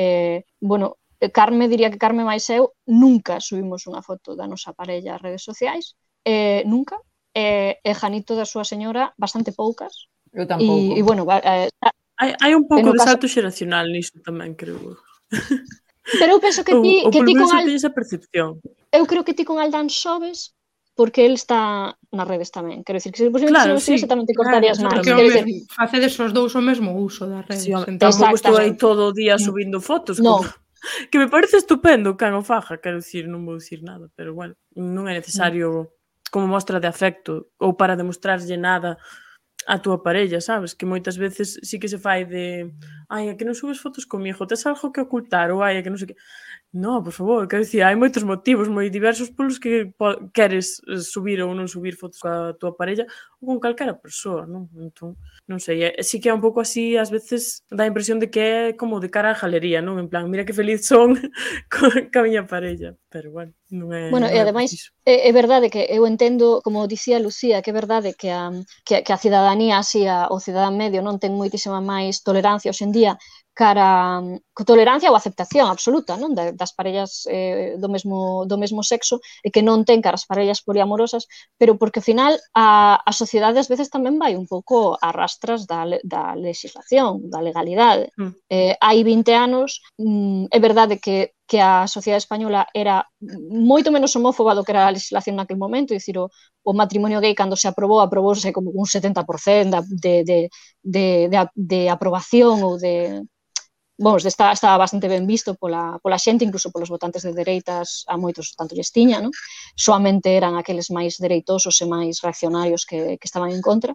Carme, diría que Carme máis eu, nunca subimos unha foto da nosa parella ás redes sociais, nunca, e Janito da súa señora bastante poucas. Eu tampouco. E bueno, hai un pouco de salto xeracional niso tamén, creo. Pero eu penso que ti con esa percepción. Eu creo que ti con Aldán sobes porque el está nas redes tamén. Quero dicir que se posiblemente se tamén te cortarías máis. Facedes os dous o mesmo uso das redes. Tampouco estou aí todo o día subindo fotos. Que me parece estupendo, can o faja, quero dicir, non vou dicir nada, pero bueno, non é necesario como mostra de afecto ou para demostrarlle nada a túa parella, sabes? Que moitas veces sí que se fai de ai, é que non subes fotos comigo, tes algo que ocultar, ou ai, é que non sei que... No, por favor, quero dicir, hai moitos motivos moi diversos polos que queres subir ou non subir fotos coa túa parella ou con calquera persoa, non? Entón, non sei, sí que é un pouco así, ás veces dá a impresión de que é como de cara á galería, non? En plan, mira que feliz son ca miña parella, pero bueno, non é... Bueno, e ademais, é verdade que eu entendo, como dicía Lucía, que é verdade que a cidadanía, así, o cidadán medio non ten moitísima máis tolerancia hoxe en día cara tolerancia ou aceptación absoluta, non, das parellas do mesmo sexo e que non ten cara as parellas poliamorosas, pero porque ao final a sociedade ás veces tamén vai un pouco a rastras da legislación, da legalidade. Hai 20 anos, é verdade que a sociedade española era moito menos homófoba do que era a legislación naquele momento, é dicir, o matrimonio gay cando se aprobouse como un 70% de aprobación ou de... Bom, estaba bastante ben visto pola xente, incluso polos votantes de dereitas, a moitos tanto lles tiña, non? Soamente eran aqueles máis dereitosos e máis reaccionarios que estaban en contra.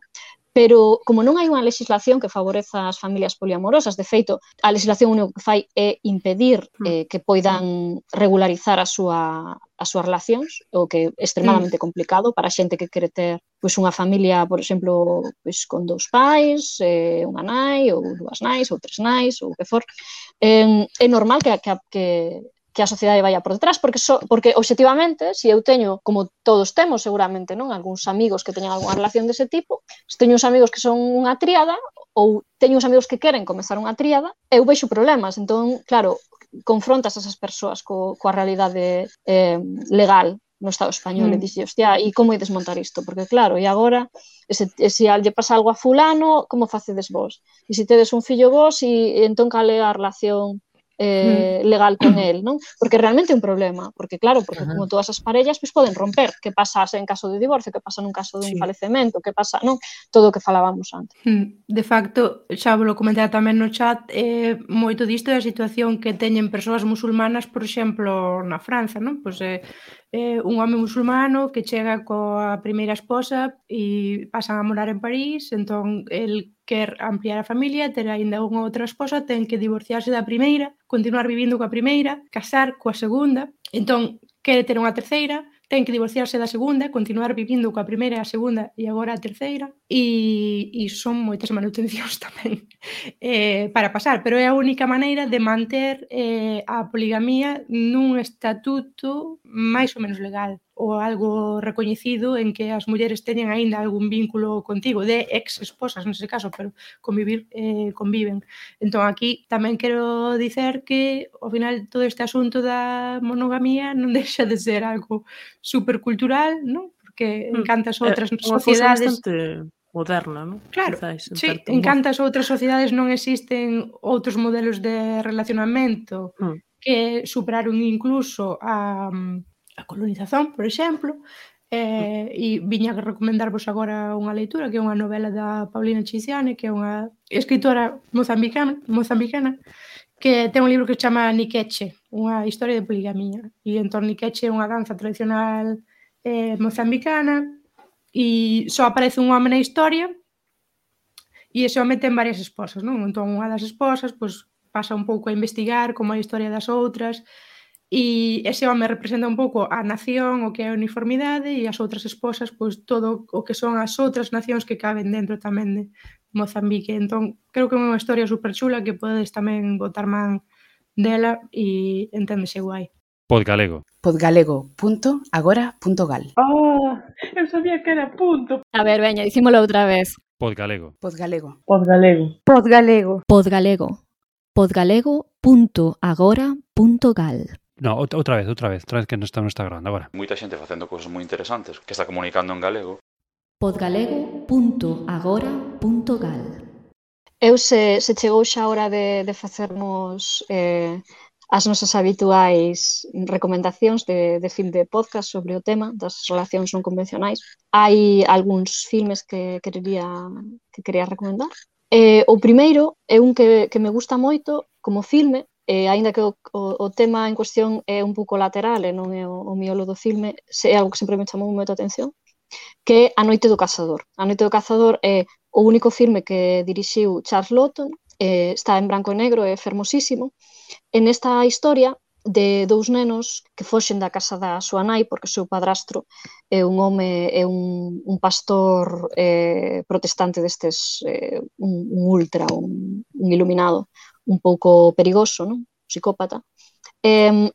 Pero, como non hai unha legislación que favoreza as familias poliamorosas, de feito, a legislación único que fai é impedir que poidan regularizar as súas relacións, o que é extremadamente complicado para a xente que quere ter unha familia, por exemplo, con 2 pais, unha nai, ou 2 nais, ou 3 nais, ou o que for. É normal que a sociedade vaya por detrás, porque obxectivamente, se eu teño, como todos temos seguramente, non, algúns amigos que teñen algunha relación dese tipo, se teño uns amigos que son unha tríada, ou teño uns amigos que queren comezar unha tríada, eu vexo problemas. Entón, claro, confrontas esas persoas coa realidade legal no Estado español e dixe, hostia, e como ides montar isto? Porque claro, e agora, se lle pasa algo a fulano, como facedes vos? E se tedes un fillo vos, e entón cal é a relación legal con el, non? Porque realmente é un problema, porque claro, porque como todas as parellas pois poden romper, que pasa en caso de divorcio, que pasa nun caso dun falecemento, que pasa, non? Todo o que falábamos antes. De facto, xa vos lo comentaba tamén no chat, moito disto é a situación que teñen persoas musulmanas, por exemplo, na França, non? Pois un home musulmano que chega coa primeira esposa e pasan a morar en París, entón el quer ampliar a familia, ter aínda unha outra esposa, ten que divorciarse da primeira, continuar vivindo coa primeira, casar coa segunda, entón quere ter unha terceira, ten que divorciarse da segunda, continuar vivindo coa primeira e a segunda e agora a terceira, e son moitas manutencións tamén para pasar, pero é a única maneira de manter a poligamía nun estatuto máis ou menos legal, ou algo recoñecido en que as mulleres teñen aínda algún vínculo contigo, de ex-esposas, nese caso, pero conviven. Entón, aquí tamén quero dicer que, ao final, todo este asunto da monogamía non deixa de ser algo supercultural, non? Porque en cantas outras sociedades... bastante moderna, non? Claro, sí, en cantas outras sociedades non existen outros modelos de relacionamento que superaron incluso a colonización, por exemplo, e viña a recomendarvos agora unha leitura, que é unha novela da Paulina Chiziane, que é unha escritora mozambicana, que ten un libro que se chama Niqueche, unha historia de poligamía. E entón Niqueche é unha danza tradicional mozambicana e só aparece un home na historia e ese home ten varias esposas, non? Entón unha das esposas, pois, pasa un pouco a investigar como a historia das outras, e ese home representa un pouco a nación, o que é a uniformidade, e as outras esposas, pois todo o que son as outras nacións que caben dentro tamén de Mozambique. Entón, creo que é unha historia superchula que podes tamén botar man dela e enténdese guai. Podgalego. Podgalego.agora.gal. Eu sabía que era punto. A ver, veña, dicímolo outra vez. Podgalego. Podgalego. Podgalego. Podgalego. Podgalego. Podgalego.agora.gal. No, outra vez que non está grabando agora. Moita xente facendo cousas moi interesantes que está comunicando en galego. Podgalego.agora.gal. Eu se chegou xa a hora de facernos as nosas habituais recomendacións de fin de podcast sobre o tema das relacións non convencionais. Hai algúns filmes que quería recomendar. O primeiro é un que me gusta moito como filme, aínda que o tema en cuestión é un pouco lateral e non é o miolo do filme, é algo que sempre me chamou moito a atención, que é A noite do cazador. A noite do cazador é o único filme que dirixiu Charles Laughton, está en branco e negro, é fermosísimo. En esta historia de dous nenos que foxen da casa da súa nai porque o seu padrastro é un home, é un pastor protestante destes, un ultra, un iluminado, un pouco perigoso, non? Psicópata.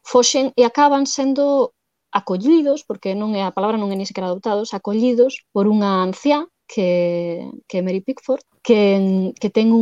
Foxen e acaban sendo acollidos, porque a palabra non é ni sequera adoptados, acollidos por unha anciá que é Mary Pickford, que ten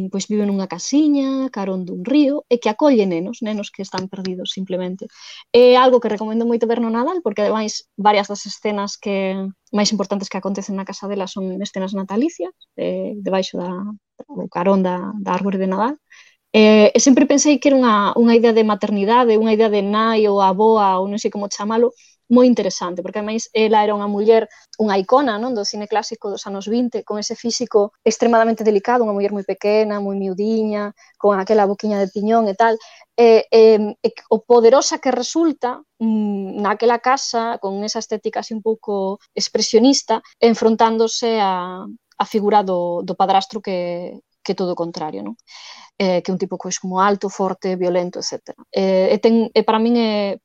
pois vive nunha casiña carón dun río e que acolle nenos que están perdidos simplemente. É algo que recomendo moito ver no Nadal, porque ademais varias das escenas que máis importantes que acontecen na casa dela son escenas natalicias, debaixo do carón da árbore de Nadal. E sempre pensei que era unha idea de maternidade, unha idea de nai ou aboa, ou non sei como chamalo, moi interesante, porque ademais ela era unha muller, unha icona, non, do cine clásico dos anos 20, con ese físico extremadamente delicado, unha muller moi pequena, moi miudiña, con aquela boquiña de piñón e tal, o poderosa que resulta naquela casa, con esa estética así un pouco expresionista, enfrontándose a figura do padrastro que é todo o contrario, non? Que é un tipo pois como alto, forte, violento, etc. Para min é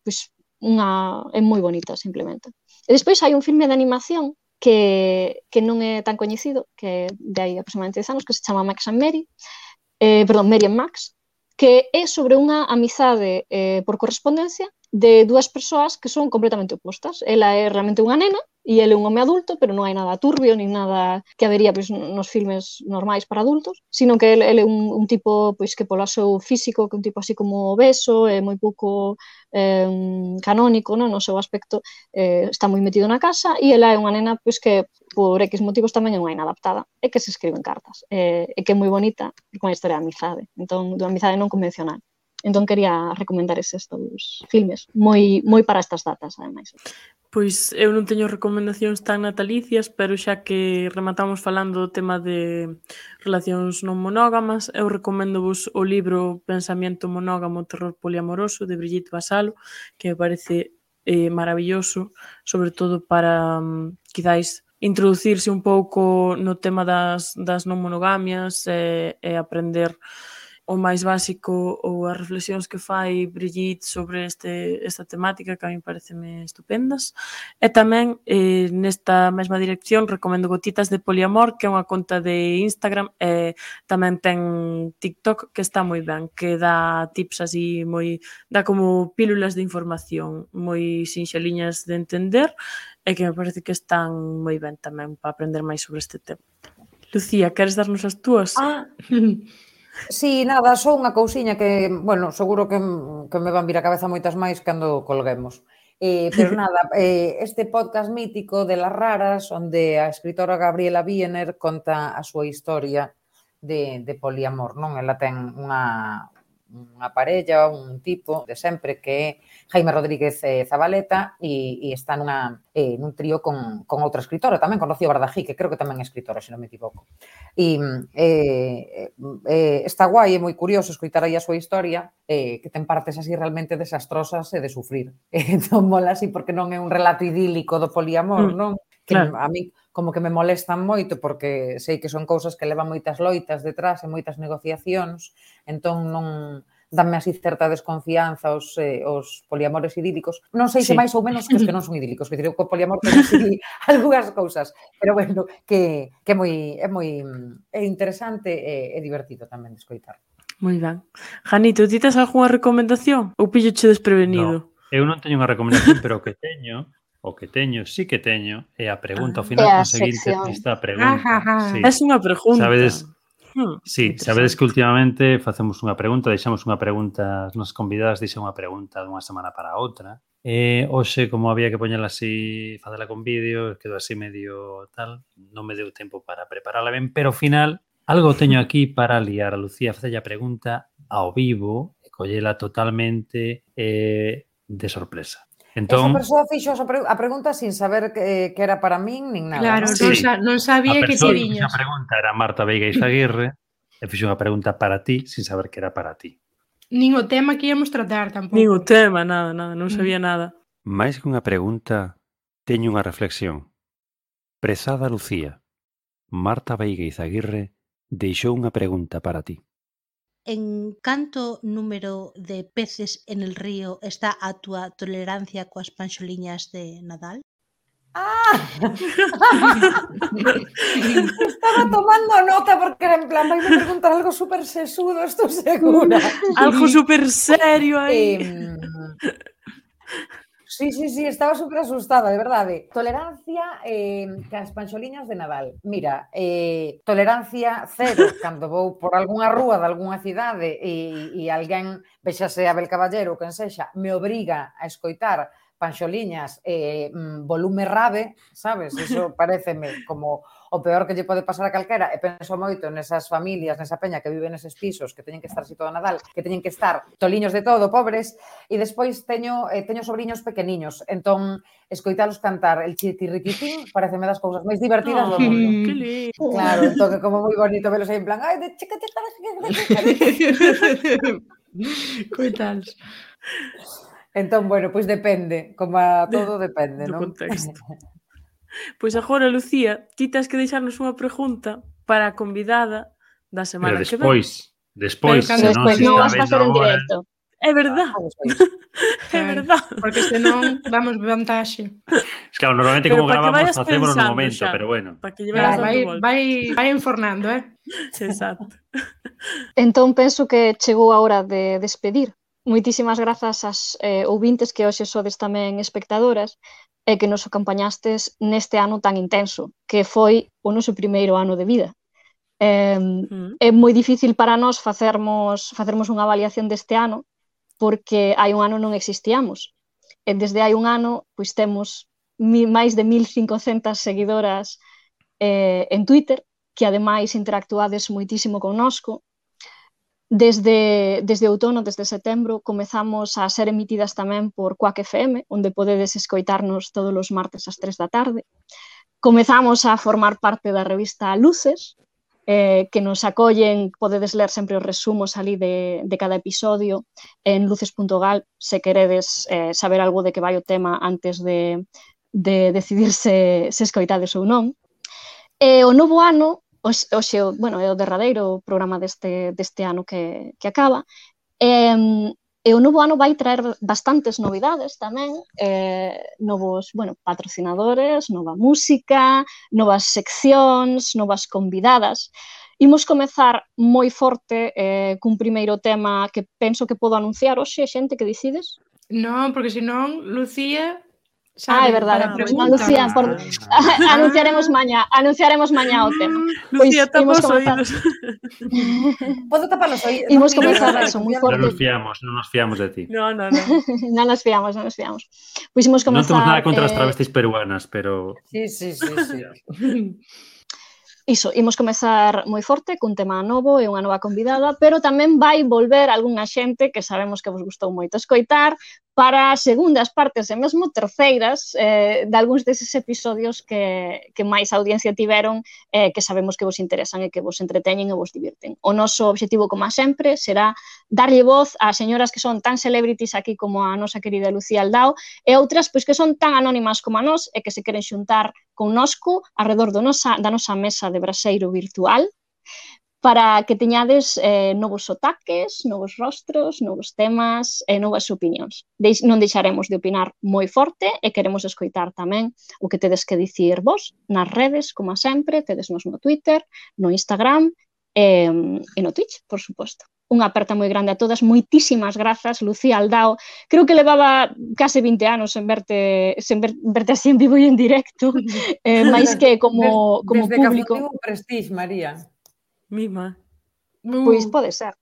moi bonita, simplemente. E despois hai un filme de animación que non é tan coñecido, que é de aí aproximadamente 10 anos, que se chama Max and Mary, Mary and Max, que é sobre unha amizade por correspondencia de dúas persoas que son completamente opostas. Ela é realmente unha nena e ele é un home adulto, pero non hai nada turbio, nin nada que habería pois, nos filmes normais para adultos, sino que ele é un tipo pois, que polo seu físico, que é un tipo así como obeso, é moi pouco canónico, non? No seu aspecto, está moi metido na casa, e ela é unha nena pois, que por X motivos tamén é unha inadaptada, e que se escriben cartas, e que é moi bonita, porque é unha historia de amizade, entón, de amizade non convencional. Entón quería recomendar estes dous filmes, moi para estas datas, ademais. Pois eu non teño recomendacións tan natalicias, pero xa que rematamos falando do tema de relacións non monógamas, eu recoméndovos o libro Pensamiento monógamo, terror poliamoroso, de Brigitte Vassallo, que me parece maravilloso, sobre todo para, quizáis, introducirse un pouco no tema das non monogamias e aprender o máis básico ou as reflexións que fai Brigitte sobre esta temática, que a mí pareceme estupendas. E tamén, nesta mesma dirección, recomendo Gotitas de Poliamor, que é unha conta de Instagram, e tamén ten TikTok, que está moi ben, que dá tips así dá como pílulas de información moi sinxeliñas de entender, e que me parece que están moi ben tamén para aprender máis sobre este tema. Lucía, queres darnos as túas? Sí, nada, só unha cousiña que, bueno, seguro que me van vir a cabeza moitas máis cando colguemos. Pero nada, este podcast mítico de Las Raras, onde a escritora Gabriela Wiener conta a súa historia de poliamor, non? Ela ten unha parella, un tipo de sempre que é Jaime Rodríguez Zabaleta e está nun trío con outra escritora, tamén con Rocío Bardají, que creo que tamén é escritora, se non me equivoco. E está guai, é moi curioso escoitar aí a súa historia, que ten partes así realmente desastrosas e de sufrir. Entón mola así porque non é un relato idílico do poliamor, non? que Claro. a mí como que me molestan moito porque sei que son cousas que levan moitas loitas detrás e moitas negociacións, entón non danme así certa desconfianza os poliamores idílicos. Non sei se Sí. máis ou menos que os que non son idílicos, que digo que o poliamor ten así algunhas cousas, pero bueno, que é moi interesante e divertido tamén de escoitar. Moi ben. Janito, ti tes algunha recomendación? Ou pilloche desprevenido? Eu non teño unha recomendación, pero o que teño, sí que teño, é a pregunta ao final É a conseguinte sección. desta pregunta. Sí. Es unha pregunta. Sí, sabedes que últimamente facemos unha pregunta, deixamos unha pregunta, as nosas convidadas deixan unha pregunta dunha semana para outra. Hoxe, como había que poñela así, facela con vídeo, quedou así medio tal, non me deu tempo para preparala ben, pero ao final algo teño aquí para liar a Lucía, facella a pregunta ao vivo e collela totalmente de sorpresa. Entón, Esa persoa fixo a pregunta sin saber que era para min nin nada. Claro, ¿no? non sabía que te a viñas. pregunta era Marta Veiga Izaguirre e fixo unha pregunta para ti sin saber que era para ti. Nin o tema que íamos tratar tampouco. Nin o tema, nada, non sabía nada. Máis que unha pregunta, teño unha reflexión. Prezada Lucía, Marta Veiga Izaguirre deixou unha pregunta para ti. En canto número de peces en el río está a túa tolerancia coas panxoliñas de Nadal? Estaba tomando nota porque era en plan, vai me preguntar algo super sesudo, estou segura. Algo super serio aí. Sí, estaba super asustada, de verdade. Tolerancia que as panxoliñas de Nadal. Mira, tolerancia cero cando vou por algunha rúa de algunha cidade e alguén, vexase Abel Caballero ou quen sexa, me obriga a escoitar panxoliñas volume rave, sabes? Iso pareceme como o peor que lle pode pasar a calquera, e penso moito nesas familias, nesa peña que vive neses pisos, que teñen que estar así todo Nadal, que teñen que estar toliños de todo, pobres, e despois teño sobriños pequeniños, entón escoitalos cantar el chitirriquitín pareceme das cousas máis divertidas do mundo. Que lindo. Claro, entón que como moi bonito velos aí en plan, ai, de chica, Coitados. Entón, bueno, pois depende, como a todo depende, Do non? contexto. Pois agora, Lucía, ti tes que deixarnos unha pregunta para a convidada da semana Pero que ven. despois, Pero senón despois se non está vas vendo facer en agora... directo. É verdad. É verdad. Porque senón damos vantaxe. Es claro, normalmente Pero como para que gravamos vayas facemos no pensando momento, xa, pero bueno. para que lle vayas dando volta. Vai enfornando, Exacto. Entón penso que chegou a hora de despedir. Moitísimas grazas ás ouvintes que hoxe sodes tamén espectadoras e que nos acompañastes neste ano tan intenso, que foi o noso primeiro ano de vida. É moi difícil para nós facermos unha avaliación deste ano porque hai un ano non existíamos. E desde hai un ano pois temos máis de 1.500 seguidoras en Twitter, que ademais interactuades moitísimo connosco. Desde outono, desde setembro, comezamos a ser emitidas tamén por Quack FM, onde podedes escoitarnos todos os martes ás 3 da tarde. Comezamos a formar parte da revista Luces, que nos acollen, podedes ler sempre os resumos ali de cada episodio en luces.gal, se queredes saber algo de que vai o tema antes de decidir se escoitades ou non. E o novo ano, hoxe, bueno, é o derradeiro programa deste ano que acaba, e o novo ano vai traer bastantes novidades tamén, novos, bueno, patrocinadores, nova música, novas seccións, novas convidadas. Imos comezar moi forte cun primeiro tema que penso que podo anunciar hoxe, xente, que decides? Non, porque senón, Lucía... É verdade, Lucía, anunciaremos mañá o tema. Lucía, tapa os oídos. Podo tapar os oídos? Imos comezar eso, moi forte. Non nos fiamos de ti. Non. Non nos fiamos. Pois imos comezar... Non temos nada contra as travestis peruanas, pero... Sí. Iso, imos comezar moi forte cun tema novo e unha nova convidada, pero tamén vai volver algunha xente que sabemos que vos gustou moito escoitar, para segundas partes e mesmo terceiras de algúns deses episodios que máis audiencia tiveron, que sabemos que vos interesan e que vos entreteñen e vos divirten. O noso obxectivo, como sempre, será darlle voz a señoras que son tan celebrities aquí como a nosa querida Lucía Aldao e outras pois que son tan anónimas como a nós e que se queren xuntar connosco arredor da nosa mesa de braseiro virtual para que teñades novos sotaques, novos rostros, novos temas e novas opinións. Non deixaremos de opinar moi forte e queremos escoitar tamén o que tedes que dicir vos nas redes, como sempre, tedesnos no Twitter, no Instagram e no Twitch, por suposto. Unha aperta moi grande a todas, moitísimas grazas, Lucía Aldao. Creo que levaba case 20 anos sen verte así en vivo e en directo, máis que como desde público. Desde que fundiu Prestige, María. Mima. Pois pode ser.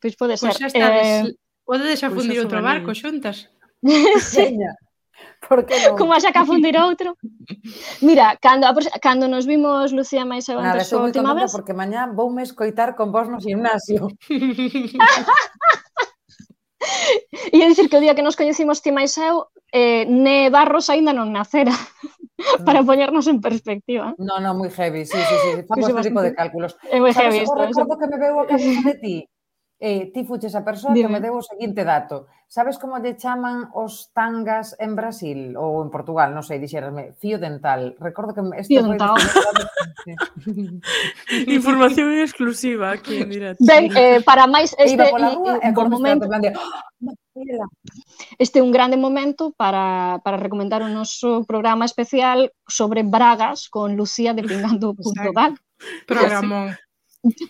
Pois xa estades. Podedes a fundir outro barco xuntas. Seña. Por que non? Como xa que a fundir outro. Mira, cando nos vimos Lucía máis eu antes a última vez, porque mañá voume escoitar con vos no gimnasio. E dicir que o día que nos coñecimos ti máis eu, Ne Barros aínda non nacera. Para poñernos en perspectiva. No, moi heavy, sí. Famos ese tipo de cálculos. É moi heavy isto. Recordo que me veu a cabeza de ti. Ti fuches a persoa que me deu o seguinte dato. Sabes como lle chaman os tangas en Brasil? Ou en Portugal, non sei, dixerasme. Fío dental. Recordo que... Fío dental. Información exclusiva aquí en directo. Ben, para máis este momento... Este é un grande momento para recomendar o noso programa especial sobre bragas con Lucía de Pingando.gal. Programón.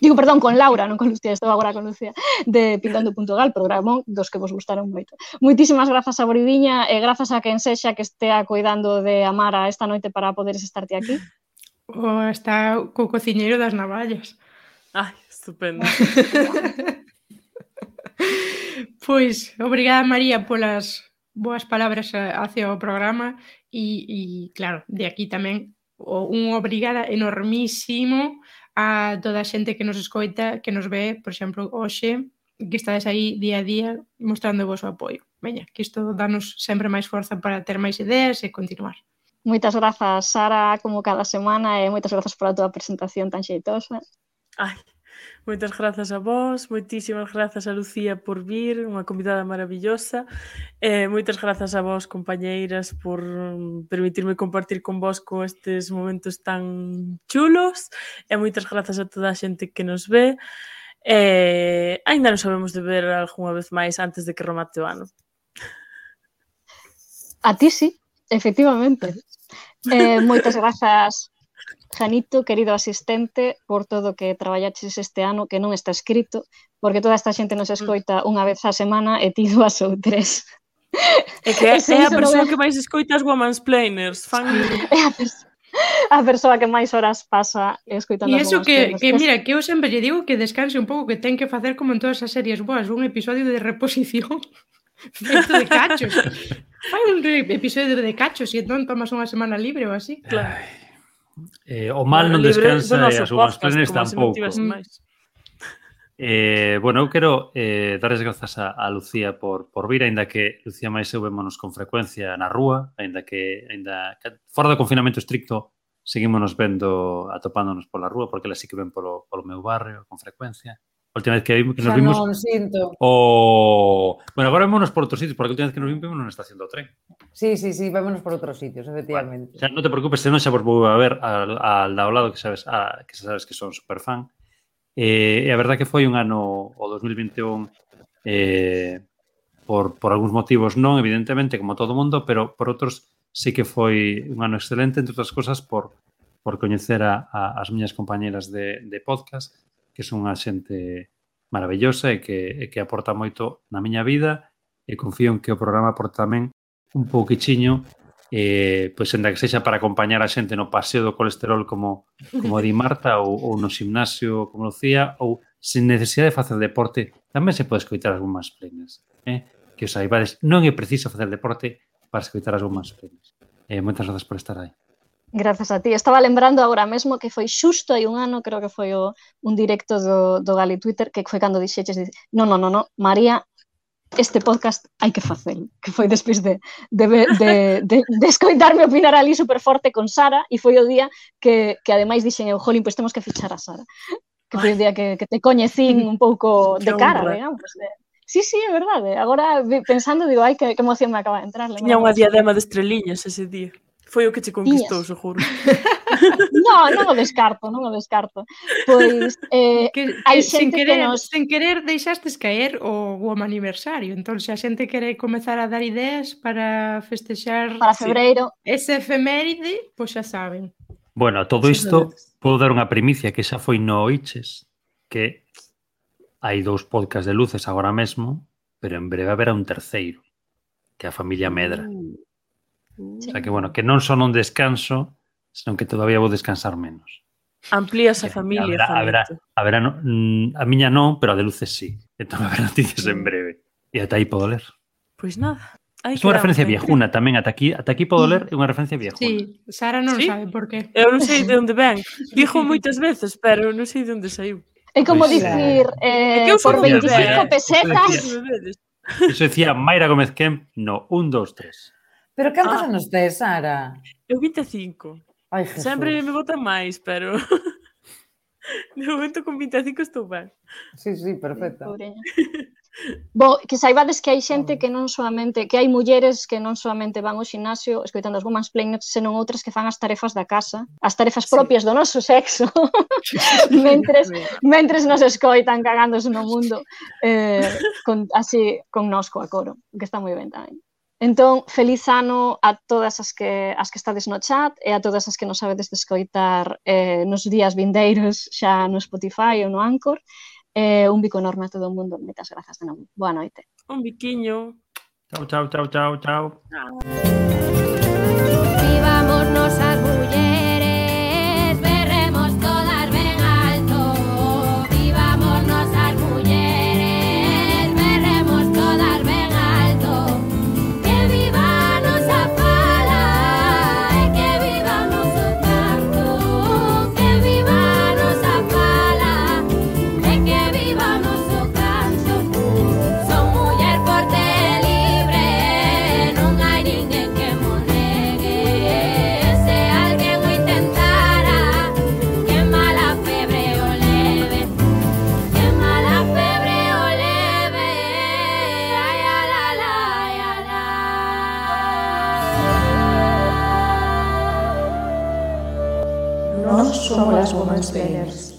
Digo, perdón, con Laura, non con Lucía, estou agora con Lucía, de Pingando.gal, programón dos que vos gustaron moito. Moitísimas grazas a Boridiña e grazas a quen sexa que estea cuidando de Amara esta noite para poderes estarte aquí. Está co cociñeiro das navallas. Ai, estupendo. Pois, obrigada María polas boas palabras hacia o programa e claro, de aquí tamén un obrigada enormísimo a toda a xente que nos escoita, que nos ve, por exemplo, hoxe, que estades aí día a día mostrando o vosso apoio. Veña, que isto danos sempre máis forza para ter máis ideas e continuar. Moitas grazas, Sara, como cada semana, e moitas grazas pola tua presentación tan xeitosa. Ai, moitas grazas a vos, moitísimas grazas a Lucía por vir, unha convidada maravillosa. Moitas grazas a vos, compañeiras, por permitirme compartir con vos con estes momentos tan chulos. E moitas grazas a toda a xente que nos ve. Ainda non sabemos de ver algunha vez máis antes de que remate o ano. A ti sí, efectivamente. Moitas grazas, Janito, querido asistente, por todo que traballaches este ano, que non está escrito, porque toda esta xente nos escoita unha vez a semana e ti 2 ou 3. É que é a persoa que máis escoita as womansplainers. É a persoa que máis horas pasa escoitando as womansplainers. E iso que, mira, que eu sempre lle digo que descanse un pouco, que ten que facer como en todas as series boas, un episodio de reposición feito de cachos. Fai un episodio de cachos e entón tomas unha semana libre ou así. Claro. O mal non descansa e as womansplainers tampouco. Bueno, eu quero darles grazas a Lucía por vir, aínda que Lucía máis eu vémonos con frecuencia na rúa, aínda que fora do confinamento estricto seguímonos vendo, atopándonos pola rúa, porque ela sí que ven polo meu barrio con frecuencia. A última vez que nos vimos... Xa non sinto. Bueno, agora vémonos por outros sitios, porque a última vez que nos vimos na estación do tren. Sí, vémonos por outros sitios, efectivamente. Bueno, non te preocupes, senón xa vos vou a ver al ao lado, que sabes que son superfan. E a verdad que foi un ano, o 2021, por algúns motivos non, evidentemente, como todo mundo, pero por outros sí que foi un ano excelente, entre outras cosas, por coñecer as miñas compañeras de podcast, que son unha xente maravillosa e que aporta moito na miña vida, e confío en que o programa aporta tamén un pouquichiño, pois en da que sexa para acompañar a xente no paseo do colesterol como di Marta, ou no gimnasio como Lucía, ou sen necesidade de facer deporte, tamén se pode escoitar as womansplainers. Que os saibades, non é preciso facer deporte para escoitar as womansplainers. Moitas grazas por estar aí. Grazas a ti. Estaba lembrando agora mesmo que foi xusto hai un ano, creo que foi un directo do Gali Twitter, que foi cando dixeches, non, María, este podcast hai que facelo, que foi despois de escoitarme opinar ali super forte con Sara, e foi o día que ademais dixen eu, jolín, pois temos que fichar a Sara, que foi o día que te coñecín un pouco de cara, digamos. Sí, é verdade. Agora, pensando, digo, ai, que emoción me acaba de entrar. Tiña unha diadema de estreliñas ese día. Foi o que che conquistou, seguro. Non o descarto. Pois, hai xente que nos... Sen querer deixastes caer o aniversario, entón se a xente quere comezar a dar ideas para festexar para febreiro ese efeméride, pois xa saben. Bueno, a todo isto podo dar unha primicia que xa foi no Oiches, que hai 2 podcasts de luces agora mesmo, pero en breve haberá un terceiro, que é a familia Medra. O sea que, bueno, que non son un descanso, senón que todavía vou descansar menos. Amplías a familia. Haberá a miña non, pero a de luces sí. Entón haberá noticias en breve. E ata aí podo ler. Pois nada. É unha referencia viejuna tamén. Ata aquí podo ler, é unha referencia viejuna. Sí, Sara non sabe por qué. Eu non sei de onde ven. Dijo moitas veces, pero non sei de onde saiu. É como dicir, por 25 pesetas... Iso decía Mayra Gómez Kemp no 1, 2, 3. Pero cantos anos tes, Sara? Eu 25. Ai, Jesús. Sempre me botan máis, pero... De momento con 25 estou ben. Sí, perfecto. Bo, que saibades que hai xente que non solamente, que hai mulleres que non solamente van ao xinasio escoitando as womansplaining, senón outras que fan as tarefas da casa, as tarefas propias do noso sexo, mentres nos escoitan cagándose no mundo, así con nós coa coro, que está moi ben tamén. Entón, feliz ano a todas as que estades no chat e a todas as que nos sabedes de escoitar nos días vindeiros xa no Spotify ou no Anchor. Un bico enorme a todo o mundo. Moitas grazas de novo. Boa noite. Un biquiño. Chao. Vivámonos as mulleres, berremos todas ben alto. Vivámonos as mulleres, berremos todas ben alto. Que viva a nosa fala e que viva o noso canto. Que viva a nosa fala e que viva o noso canto. Son muller forte e libre, non hai ninguén que mo negue. Se alguén o intentara, que mala febre o leve. Que mala febre o leve. Ai, ala, ala, ai, ala. Nós somos as womansplainers.